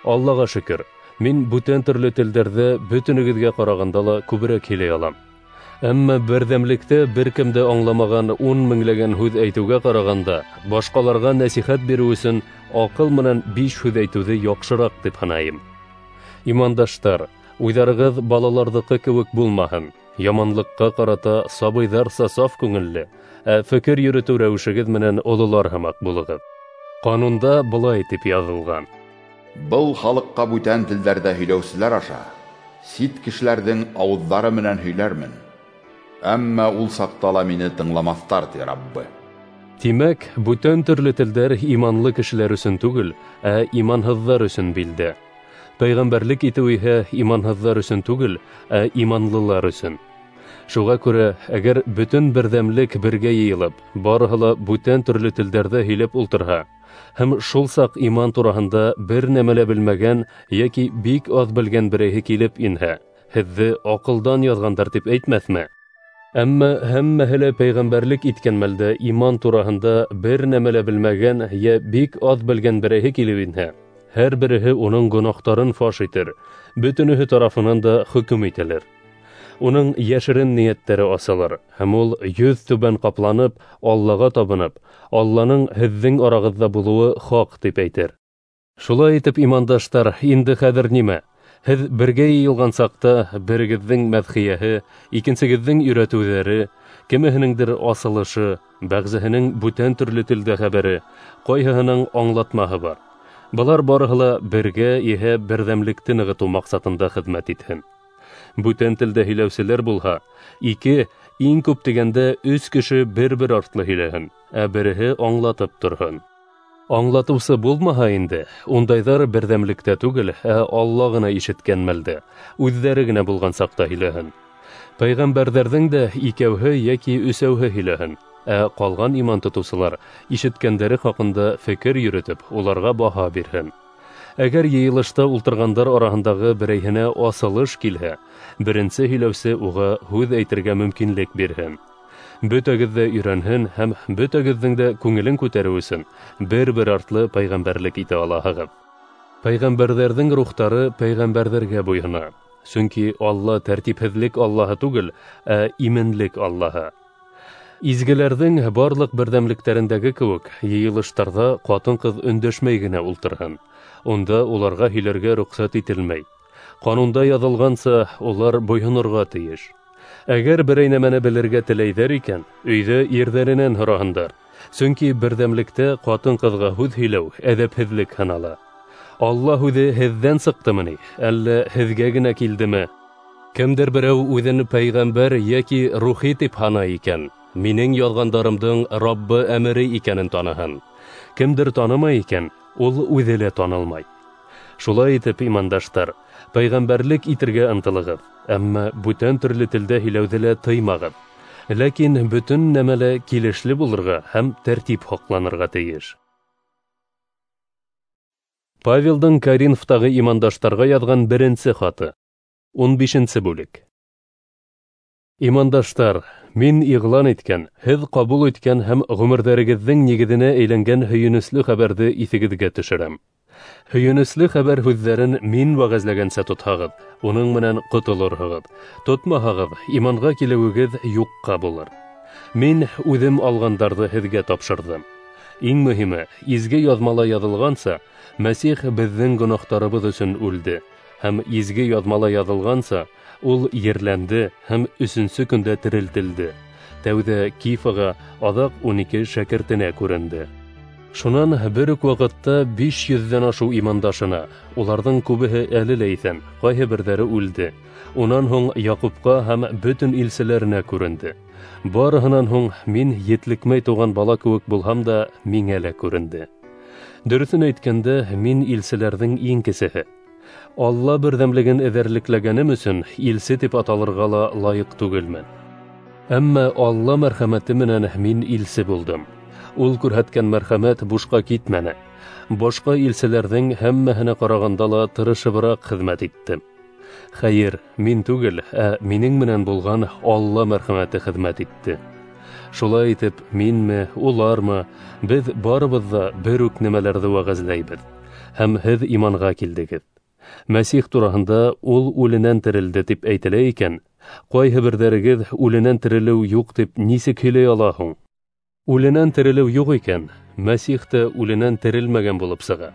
Аллаға шөкөр, мин бүтән төрлө телдәрҙә бөтөнөгөҙгә ҡарағанда ла күберәк һөйләй алам. Әммә берҙәмлектә бер кем дә аңламаған ун меңләгән һүҙ әйтеүгә ҡарағанда, башҡаларға нәсихәт биреү өсөн аҡыл менән биш һүҙ әйтеүҙе яҡшыраҡ тип һанайым. Имандаштар, уйҙарығыҙ балаларҙыҡы кеүек булмаһын. Яманлыҡҡа ҡарата сабыйҙарса саф күңелле, ә фекер йөрөтөү рәүешегеҙ менән ололар һымаҡ булығыҙ. Ҡанунда былай тип яҙылған:
Был халыҡҡа бүтән телдәрҙә һөйләүселәр аша сит кешеләрҙең ауыҙҙары менән һөйләрмен, әммә ул саҡта ла мине тыңламаҫтар, ти Раббы.
Тимәк, бүтән төрлө телдәр иманлы кешеләр өсөн түгел, ә иманһыҙҙар өсөн билдә. Пәйғәмбәрлек итеү иһә иманһыҙҙар өсөн түгел, ә иманлылар өсөн. Шуға күрә, әгәр бөтөн берҙәмлек бергә йыйылып, барыһы ла бүтән төрлө телдәрҙә һөйләп ултырһа, һәм шул саҡ иман тураһында бер нәмә лә белмәгән йәки бик аҙ белгән берәйһе килеп инһә, һеҙҙе аҡылдан яҙғандар тип әйтмәҫме? Әммә һәммәһе лә пәйғәмбәрлек иткән мәлдә иман тураһында бер нәмә лә белмәгән йә бик аҙ белгән берәйһе килеп инһә, һәр береһе уның гонаһтарын фаш итер, бөтөнөһө тарафынан да хөкөм ителер. Уның йәшерен ниәттәре асылыр, һәм ул йөҙ түбән ҡапланып, Аллаға табынып, Алланың һеҙҙең арағыҙҙа булыуы хаҡ тип әйтер. Шулай итеп, имандаштар, инде хәҙер нимә? Һеҙ бергә йыйылған саҡта берегеҙҙең мәҙхиәһе, икенсегеҙҙең өйрәтеүҙәре, кемеһенеңдер асылышы, бәғзеһенең бүтән төрлө телдә хәбәре, ҡайһыһының аңлатмаһы бар. Былар барыһы ла бергә иһә берҙәмлекте нығытыу маҡсатында хеҙмәт итһен. Бүтән телдә һөйләүселәр булһа, ике, иң күп тигәндә өс кеше бер-бер артлы һөйләһен, ә береһе аңлатып торһон. Аңлатыусы булмаһа инде, ундайҙар берҙәмлектә түгел, ә Алла ғына ишеткән мәлдә, үҙҙәре генә булған саҡта һөйләһен. Пәйғәмбәрҙәрҙең дә икәүһе йәки өсәүһе һөйләһен, ә ҡалған иман тотоусылар ишеткәндәре хаҡында фекер йөрөтөп, уларға баһа бирһен. Әгәр йыйылышта ултырғандар араһындағы берәйһенә асылыш килһә, беренсе һөйләүсе уға һүҙ әйтергә мөмкинлек бирһен. Бөтәгеҙ ҙә өйрәнһен һәм бөтәгеҙҙең дә күңелен күтәреү өсөн бер-бер артлы пәйғәмбәрлек итә алаһығыҙ. Пәйғәмбәрҙәрҙең рухтары пәйғәмбәрҙәргә буйһона, сөнки Алла тәртипһеҙлек Аллаһы түгел, ә именлек Аллаһы. Изгеләрҙең барлыҡ берҙәмлектәрендәге кеүек, йыйылыштарҙа ҡатын-ҡыҙ өндәшмәй генә ултырһын. Унда уларға һөйләргә рөхсәт ителмәй. Ҡанунда яҙылғанса, улар буйһонорға тейеш. Әгәр берәй нәмәне белергә теләйҙәр икән, өйҙә ирҙәренән һораһындар. Сөнки берҙәмлектә ҡатын-ҡыҙға һүҙ һөйләү әҙәпһеҙлек һанала. Алла һүҙе һеҙҙән сыҡтымы ни, әллә һеҙгә генә килдеме? Кемдер берәү үҙен пәйғәмбәр йәки рухи тип һанай икән, минең яҙғандарымдың Раббы әмере икәнен таныһын. Кемдер танымай икән, ул үҙе лә танылмай. Шулай итеп, имандаштар, пәйғәмбәрлек итергә ынтылығыҙ, әммә бүтән төрлө телдә һөйләүҙе лә тыймағыҙ. Ләкин бөтөн нәмә лә килешле булырға һәм тәртип һаҡланырға тейеш. Павелдың Коринфтағы имандаштарға яҙған беренсе хаты. Ун бишенсе бүлек. Имандаштар, мин иғлан иткән, һеҙ ҡабул иткән һәм ғүмерҙәрегеҙҙең нигеҙенә әйләнгән һөйөнөслө хәбәрҙе иҫегеҙгә төшөрәм. Һөйөнөслө хәбәр һүҙҙәрен мин вәғәзләгәнсә тотһағыҙ, уның менән ҡотолорһоғоҙ. Тотмаһағыҙ, иманға килеүегеҙ юҡҡа булыр. Мин үҙем алғандарҙы һеҙгә тапшырҙым. Иң мөһиме, изге яҙмала яҙылғанса, Мәсих беҙҙең гонаһтарыбыҙ өсөн үлде, һәм изге яҙмала яҙылғанса, ул ерләнде һәм өсөнсө көндә терелтелде. Тәүҙә Кифаға, аҙаҡ ун ике шәкертенә күренде. Шунан бер үк ваҡытта биш йөҙҙән ашыу имандашына, уларҙың күбеһе әле лә иҫән, ҡайһы берҙәре үлде. Унан һуң Яҡупҡа һәм бөтөн илселәренә күренде. Барыһынан һуң мин етлекмәй тыуған бала кеүек булһам да, миңә лә күренде. Дөрөҫөн әйткәндә, мин илселәрҙең иң кесеһе. Алла берҙәмлеген эҙәрлекләгәнем өсөн илсе тип аталырға ла лайыҡ түгелмен. Әммә Алла мәрхәмәте менән мин илсе булдым. Ул күрһәткән мәрхәмәт бушҡа китмәне. Башҡа илселәрҙең һәммәһенә ҡарағанда ла тырышыбыраҡ хеҙмәт иттем. Хәйер, мин түгел, ә минең менән булған Алла мәрхәмәте хеҙмәт итте. Шулай итеп, минме, улармы, беҙ барыбыҙ ҙа бер үк нәмәләрҙе вәғәзләйбеҙ. Һәм һеҙ иманға килдегеҙ. Мәсих тураһында ул үленән терелде тип әйтелә икән, ҡайһы берҙәрегеҙ үленән терелеү юҡ тип нисек һөйләй ала һуң? Үленән терелеү юҡ икән, Мәсих тә үленән терелмәгән булып сыға.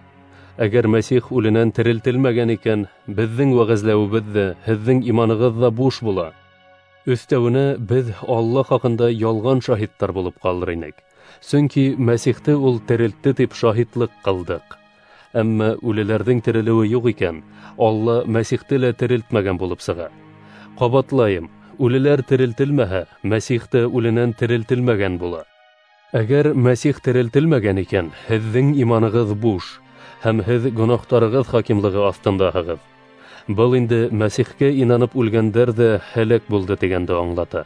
Әгәр Мәсих үленән терелтелмәгән икән, беҙҙең вәғәзләүебеҙ ҙә, һеҙҙең иманығыҙ ҙа буш була. Өҫтәүенә беҙ Алла хаҡында ялған шаһиттар булып ҡалыр инек. Сөнки Мәсихте ул терелтте тип шаһитлыҡ ҡылдыҡ. Әммә үлеләрҙең терелеүе юҡ икән, Алла Мәсихте лә терелтмәгән булып сыға. Ҡабатлайым, үлеләр терелтелмәһә, Мәсих тә үленән терелтелмәгән була. Әгәр Мәсих терелтелмәгән икән, һеҙҙең иманығыҙ буш, һәм һеҙ гонаһтарығыҙ хакимлығы аҫтындаһығыҙ. Был инде Мәсихкә инанып үлгәндәр ҙә һәләк булды тигәнде аңлата.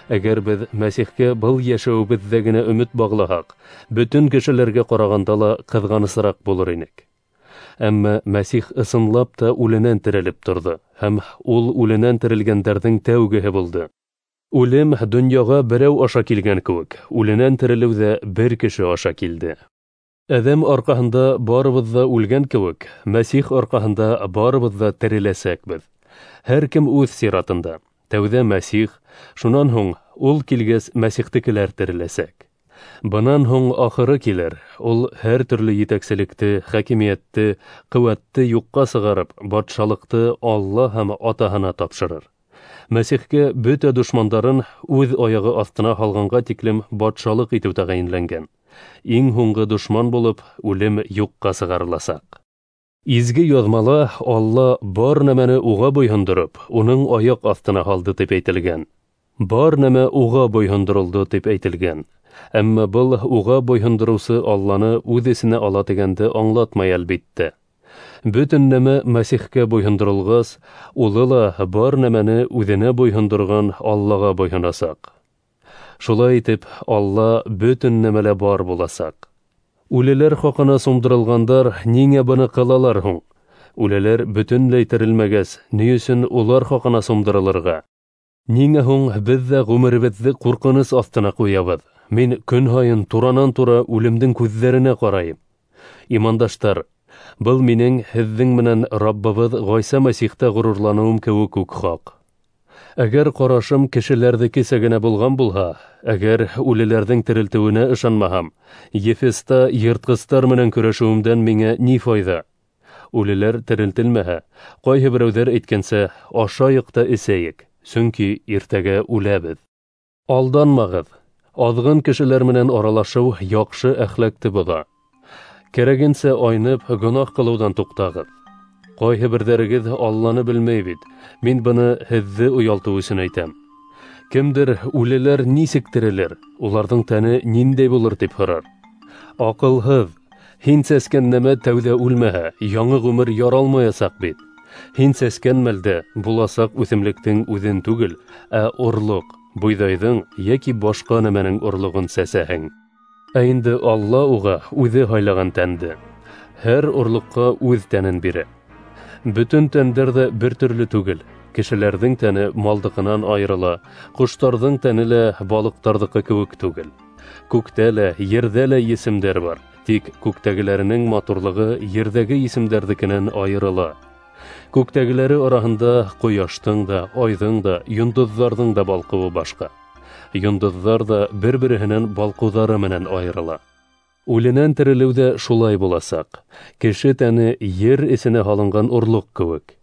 Әгәр беҙ Мәсихкә был йәшәүебеҙҙә генә өмөт бағлаһаҡ, бөтөн кешеләргә ҡарағанда ла ҡыҙғанысыраҡ булыр инек. Әммә Мәсих ысынлап та үленән терелеп торҙо, һәм ул үленән терелгәндәрҙең тәүгеһе булды. Үлем донъяға берәү аша килгән кеүек, үленән терелеү ҙә бер кеше аша килде. Әҙәм арҡаһында барыбыҙ ҙа үлгән кеүек, Мәсих арҡаһында барыбыҙ ҙа тереләсәкбеҙ. Һәр кем үҙ сиратында. Тәүҙә Мәсих, шунан һуң ул килгәс Мәсихтекеләр тереләсәк. Бынан һуң ахыры килер, ул һәр төрлө етәкселекте, хакимиәтте, ҡеүәтте юҡҡа сығарып, батшалыҡты Алла һәм Атаһына тапшырыр. Мәсихкә бөтә дошмандарын үҙ аяғы аҫтына һалғанға тиклем батшалыҡ итеү тәғәйенләнгән. Иң һуңғы дошман булып, үлем юҡҡа сығарыласаҡ. Изге яҙмала Алла бар нәмәне уға буйһондороп, уның аяҡ аҫтына һалды тип әйтелгән. Бар нәмә уға буйһондоролдо тип әйтелгән. Әммә был уға буйһондороусы Алланы үҙ эсенә ала тигәнде аңлатмай әлбиттә. Бөтөн нәмә Мәсихкә буйһондоролғас, улы ла бар нәмәне үҙенә буйһондорған Аллаға буйһонасаҡ. Шулай итеп, Алла бөтөн нәмәлә бар буласаҡ. Үлеләр хаҡына сумдырылғандар ниңә быны ҡылалар һуң? Үлеләр бөтөнләй терелмәгәс, ни өсөн улар хаҡына сумдырылырға? Ниңә һуң беҙ ҙә ғүмеребеҙҙе ҡурҡыныс аҫтына ҡуябыҙ? Мин көн һайын туранан-тура үлемдең күҙҙәренә ҡарайым. Имандаштар, был минең һеҙҙең менән Раббыбыҙ Ғайса Мәсихтә ғорурланыуым кеүек үк хаҡ. Әгәр ҡарашым кешеләрҙекесә генә булған булһа, әгәр үлеләрҙең терелтеүенә ышанмаһам, Ефеста йыртҡыстар менән көрәшеүемдән миңә ни файҙа? Үлеләр терелтелмәһә, ҡайһы берәүҙәр әйткәнсә, ашайыҡ та эсәйек, сөнки иртәгә үләбеҙ. Алданмағыҙ. Аҙғын кешеләр менән аралашыу яҡшы әхлаҡты боҙа. Кәрәгенсә айнып, гонаһ ҡылыуҙан туҡтағыҙ. Ҡайһы берҙәрегеҙ Алланы белмәй бит. Мин быны һеҙҙе оялтыу өсөн әйтәм. Кемдер үлеләр нисек терелер, уларҙың тәне ниндәй булыр тип һорар. Аҡылһыҙ, һин сәскән нәмә тәүҙә үлмәһә, яңы ғүмер яралмаясаҡ бит. Һин сәскән мәлдә буласаҡ үҫемлектең үҙен түгел, ә орлоҡ, бойҙайҙың йәки башҡа нәмәнең орлоғон сәсәһең. Ә инде Алла уға үҙе һайлаған тәнде, һәр орлоҡҡа үҙ тәнен бирә. Бөтөн тәндәр ҙә бер төрлө түгел. Кешеләрҙең тәне малдыҡынан айырыла, ҡоштарҙың тәне лә балыҡтарҙыҡы кеүек түгел. Күктә лә, ерҙә лә есемдәр бар, тик күктәгеләренең матурлығы ерҙәге есемдәрҙекенән айырыла. Күктәгеләре араһында ҡояштың да, айҙың да, йондоҙҙарҙың да балҡыуы башҡа. Йондоҙҙар ҙа бер-береһенән балҡыуҙары менән айырыла. Үленән терелеү ҙә шулай буласаҡ. Кеше тәне ер эсенә һалынған орлоҡ кеүек.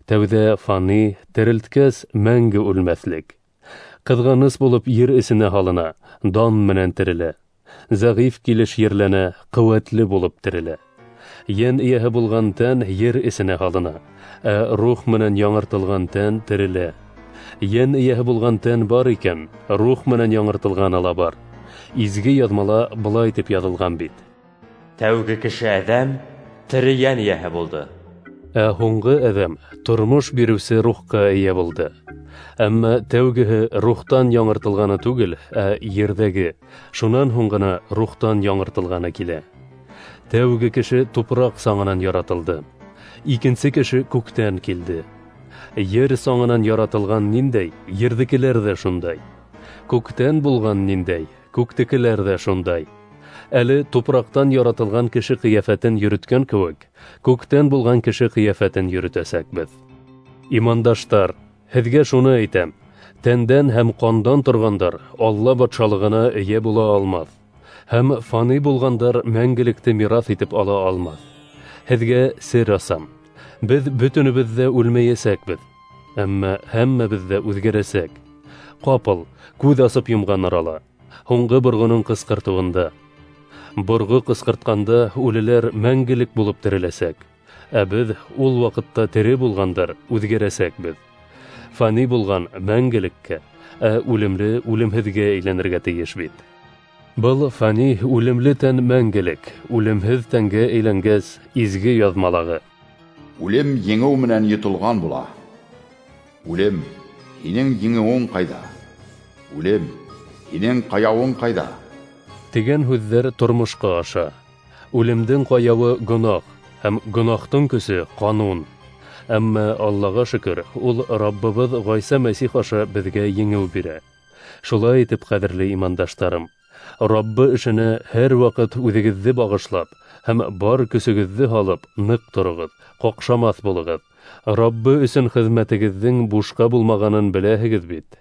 Тәүҙә фани, терелткәс мәңге үлмәҫлек. Ҡыҙғаныс булып ер эсенә һалына, дан менән терелә. Зәғиф килеш ерләнә, ҡеүәтле булып терелә. Йән эйәһе булған тән ер эсенә һалына, ә рух менән яңыртылған тән терелә. Йән эйәһе булған тән бар икән, рух менән яңыртылғаны ла бар. Изге яҙмала былай тип яҙылған бит:
Тәүге кеше Әҙәм тере йән эйәһе булды.
Ә һуңғы Әҙәм тормош биреүсе рухҡа эйә булды. Әммә тәүгеһе рухтан яңыртылғаны түгел, ә ерҙәге, шунан һуң ғына рухтан яңыртылғаны килә. Тәүге кеше тупраҡ саңынан яратылды. Икенсе кеше күктән килде. Ер саңынан яратылған ниндәй, ерҙекеләр ҙә шундай. Күктән булған ниндәй, күктекеләр ҙә шундай. Әле тупраҡтан яратылған кеше ҡиәфәтен йөрөткән кеүек, күктән булған кеше ҡиәфәтен йөрөтәсәкбеҙ. Имандаштар, һеҙгә шуны әйтәм: тәндән һәм ҡандан торғандар Алла батшалығына эйә була алмаҫ, һәм фани булғандар мәңгелекте мираҫ итеп ала алмаҫ. Һеҙгә сер асам: беҙ бөтөнөбөҙ ҙә үлмәйәсәкбеҙ, әммә һәммәбеҙ ҙә үҙгәрәсәк. Ҡапыл күҙ асып йомған арала, һуңғы борғоноң ҡысҡыртыуында. Борғо ҡысҡыртҡанда үлеләр мәңгелек булып тереләсәк, ә беҙ ул ваҡытта тере булғандар үҙгәрәсәкбеҙ. Фани булған мәңгелеккә, ә үлемле үлемһеҙгә әйләнергә тейеш бит. Был фани үлемле тән мәңгелек, үлемһеҙ тәнгә әйләнгәс, изге яҙмалағы:
Үлем еңеү менән йотолған була. Үлем, һинең еңеүең ҡайҙа? Үлем, һинең ҡаяуың ҡайҙа?
Тигән һүҙҙәр тормошҡа аша. Үлемдең ҡаяуы гонаһ, һәм гонаһтың көсө ҡанун. Әммә Аллаға шөкөр, ул Раббыбыҙ Ғайса Мәсих аша беҙгә еңеү бирә. Шулай итеп, ҡәҙерле имандаштарым, Раббы эшенә һәр ваҡыт үҙегеҙҙе бағышлап һәм бар көсөгөҙҙө һалып ныҡ тороғоҙ, ҡаҡшамаҫ булығыҙ. Раббы өсөн хеҙмәтегеҙҙең бушҡа булмағанын беләһегеҙ бит.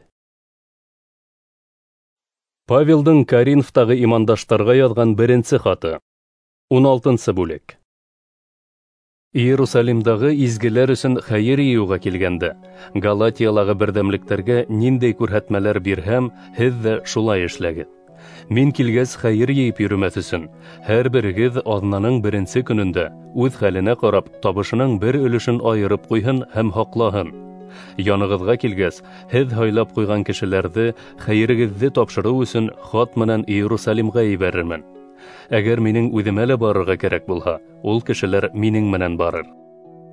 Павелдың Коринфтағы имандаштарға яҙған беренсе хаты. Ун алтынсы бүлек. Иерусалимдағы изгеләр өсөн хәйер йыйыуға килгәндә, Галатиялағы берҙәмлектәргә ниндәй күрһәтмәләр бирһәм, һеҙ ҙә шулай эшләгеҙ. Мин килгәс хәйер йыйып йөрөмәҫ өсөн, һәр берегеҙ аҙнаның беренсе көнөндә үҙ хәленә ҡарап табышының бер өлөшөн айырып ҡуйһын һәм һаҡлаһын. Янығыҙға килгәс, һеҙ һайлап ҡуйған кешеләрҙе хәйерегеҙҙе тапшырыу өсөн хат менән Иерусалимға ебәрермен. Әгәр минең үҙемә лә барырға кәрәк булһа, ул кешеләр минең менән барыр.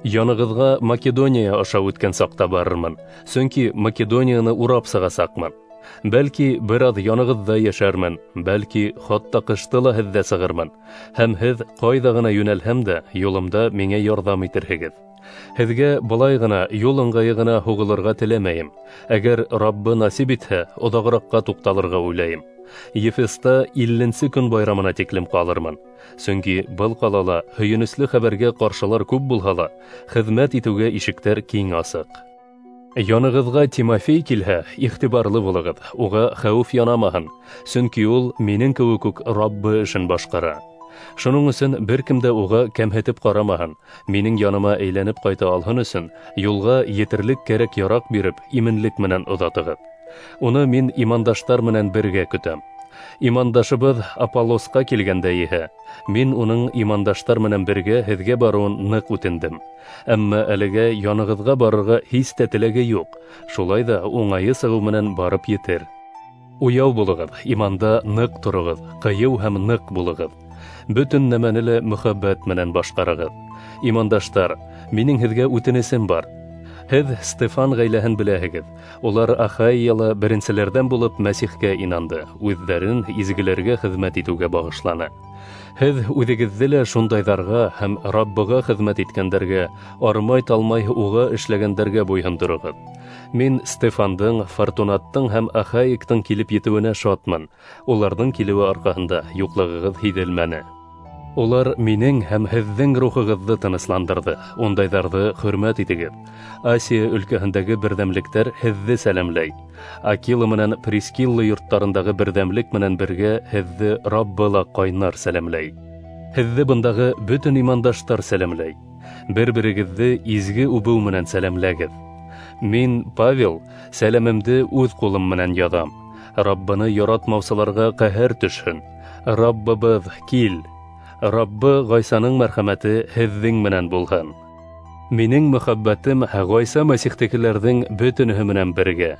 Янығыҙға Македония аша үткән саҡта барырмын, сөнки Македонияны урап сығасаҡмын. Бәлки бер аҙ янығыҙҙа йәшәрмен, бәлки хатта ҡышты ла һеҙҙә сығырмын, һәм һеҙ ҡайҙа ғына йүнәлһәм дә юлымда миңә ярҙам итерһегеҙ. Һеҙгә былай ғына юл ыңғайы ғына һуғылырға теләмәйем. Әгәр Раббы насип итһә, оҙағыраҡҡа туҡталырға уйлайым. Ефеста илленсе көн байрамына тиклем ҡалырмын. Сөнки был ҡалала һөйөнөслө хәбәргә ҡаршылар күп булһа ла, хеҙмәт итеүгә ишектәр киң асыҡ. Янығыҙға Тимофей килһә, иғтибарлы булығыҙ, уға хәүеф янамаһын, сөнки ул минең кеүек үк Раббы эшен башҡара. Шуның өсөн бер кем дә уға кәмһетеп ҡарамаһын, минең яныма әйләнеп ҡайта алһын өсөн юлға етерлек кәрәк-яраҡ биреп, именлек менән оҙатығыҙ. Уны мин имандаштар менән бергә көтәм. Имандашыбыҙ Аполлосҡа килгәндә иһә, мин уның имандаштар менән бергә һеҙгә барыуын ныҡ үтендем. Әммә әлегә янығыҙға барырға һис тә теләге юҡ, шулай ҙа уңайы сығыу менән барып етер. Уяу булығыҙ, иманда ныҡ тороғоҙ, ҡыйыу һәм ныҡ булығыҙ. Бөтөн нәмәне лә мөхәббәт менән башҡарығыҙ. Имандаштар, минең һеҙгә үтенесем бар. Һеҙ Стефан ғаиләһен беләһегеҙ. Улар Ахайяла беренселәрҙән булып Мәсихкә инанды, үҙҙәрен изгеләргә хеҙмәт итеүгә бағышланы. Һеҙ үҙегеҙҙе лә шундайҙарға һәм Раббыға хеҙмәт иткәндәргә, армай-талмай уға эшләгәндәргә буйһондороғоҙ. Мин Стефандың, Фортунаттың һәм Ахаиктың килеп етеүенә шатмын. Уларҙың килеүе арҡаһында юҡлығығыҙ һиҙелмәне. Улар минең һәм һеҙҙең рухығыҙҙы тынысландырҙы. Ундайҙарҙы хөрмәт итегеҙ. Асия өлкәһендәге берҙәмлектәр һеҙҙе сәләмләй. Акила менән Прискилла йорттарындағы берҙәмлек менән бергә һеҙҙе Раббы ла ҡайнар сәләмләй. Һеҙҙе бындағы бөтөн имандаштар сәләмләй. Бер-берегеҙҙе изге үбеү менән сәләмләгеҙ. Мин, Павел, сәләмемде үҙ ҡулым менән яҙам. Раббыны яратмаусыларға ҡәһәр төшһөн. Раббыбыҙ, кил! Раббы Ғайсаның мәрхәмәте һеҙҙең менән булһын. Минең мөхәббәтем Ғайса Мәсихтекеләрҙең бөтөнөһө менән бергә.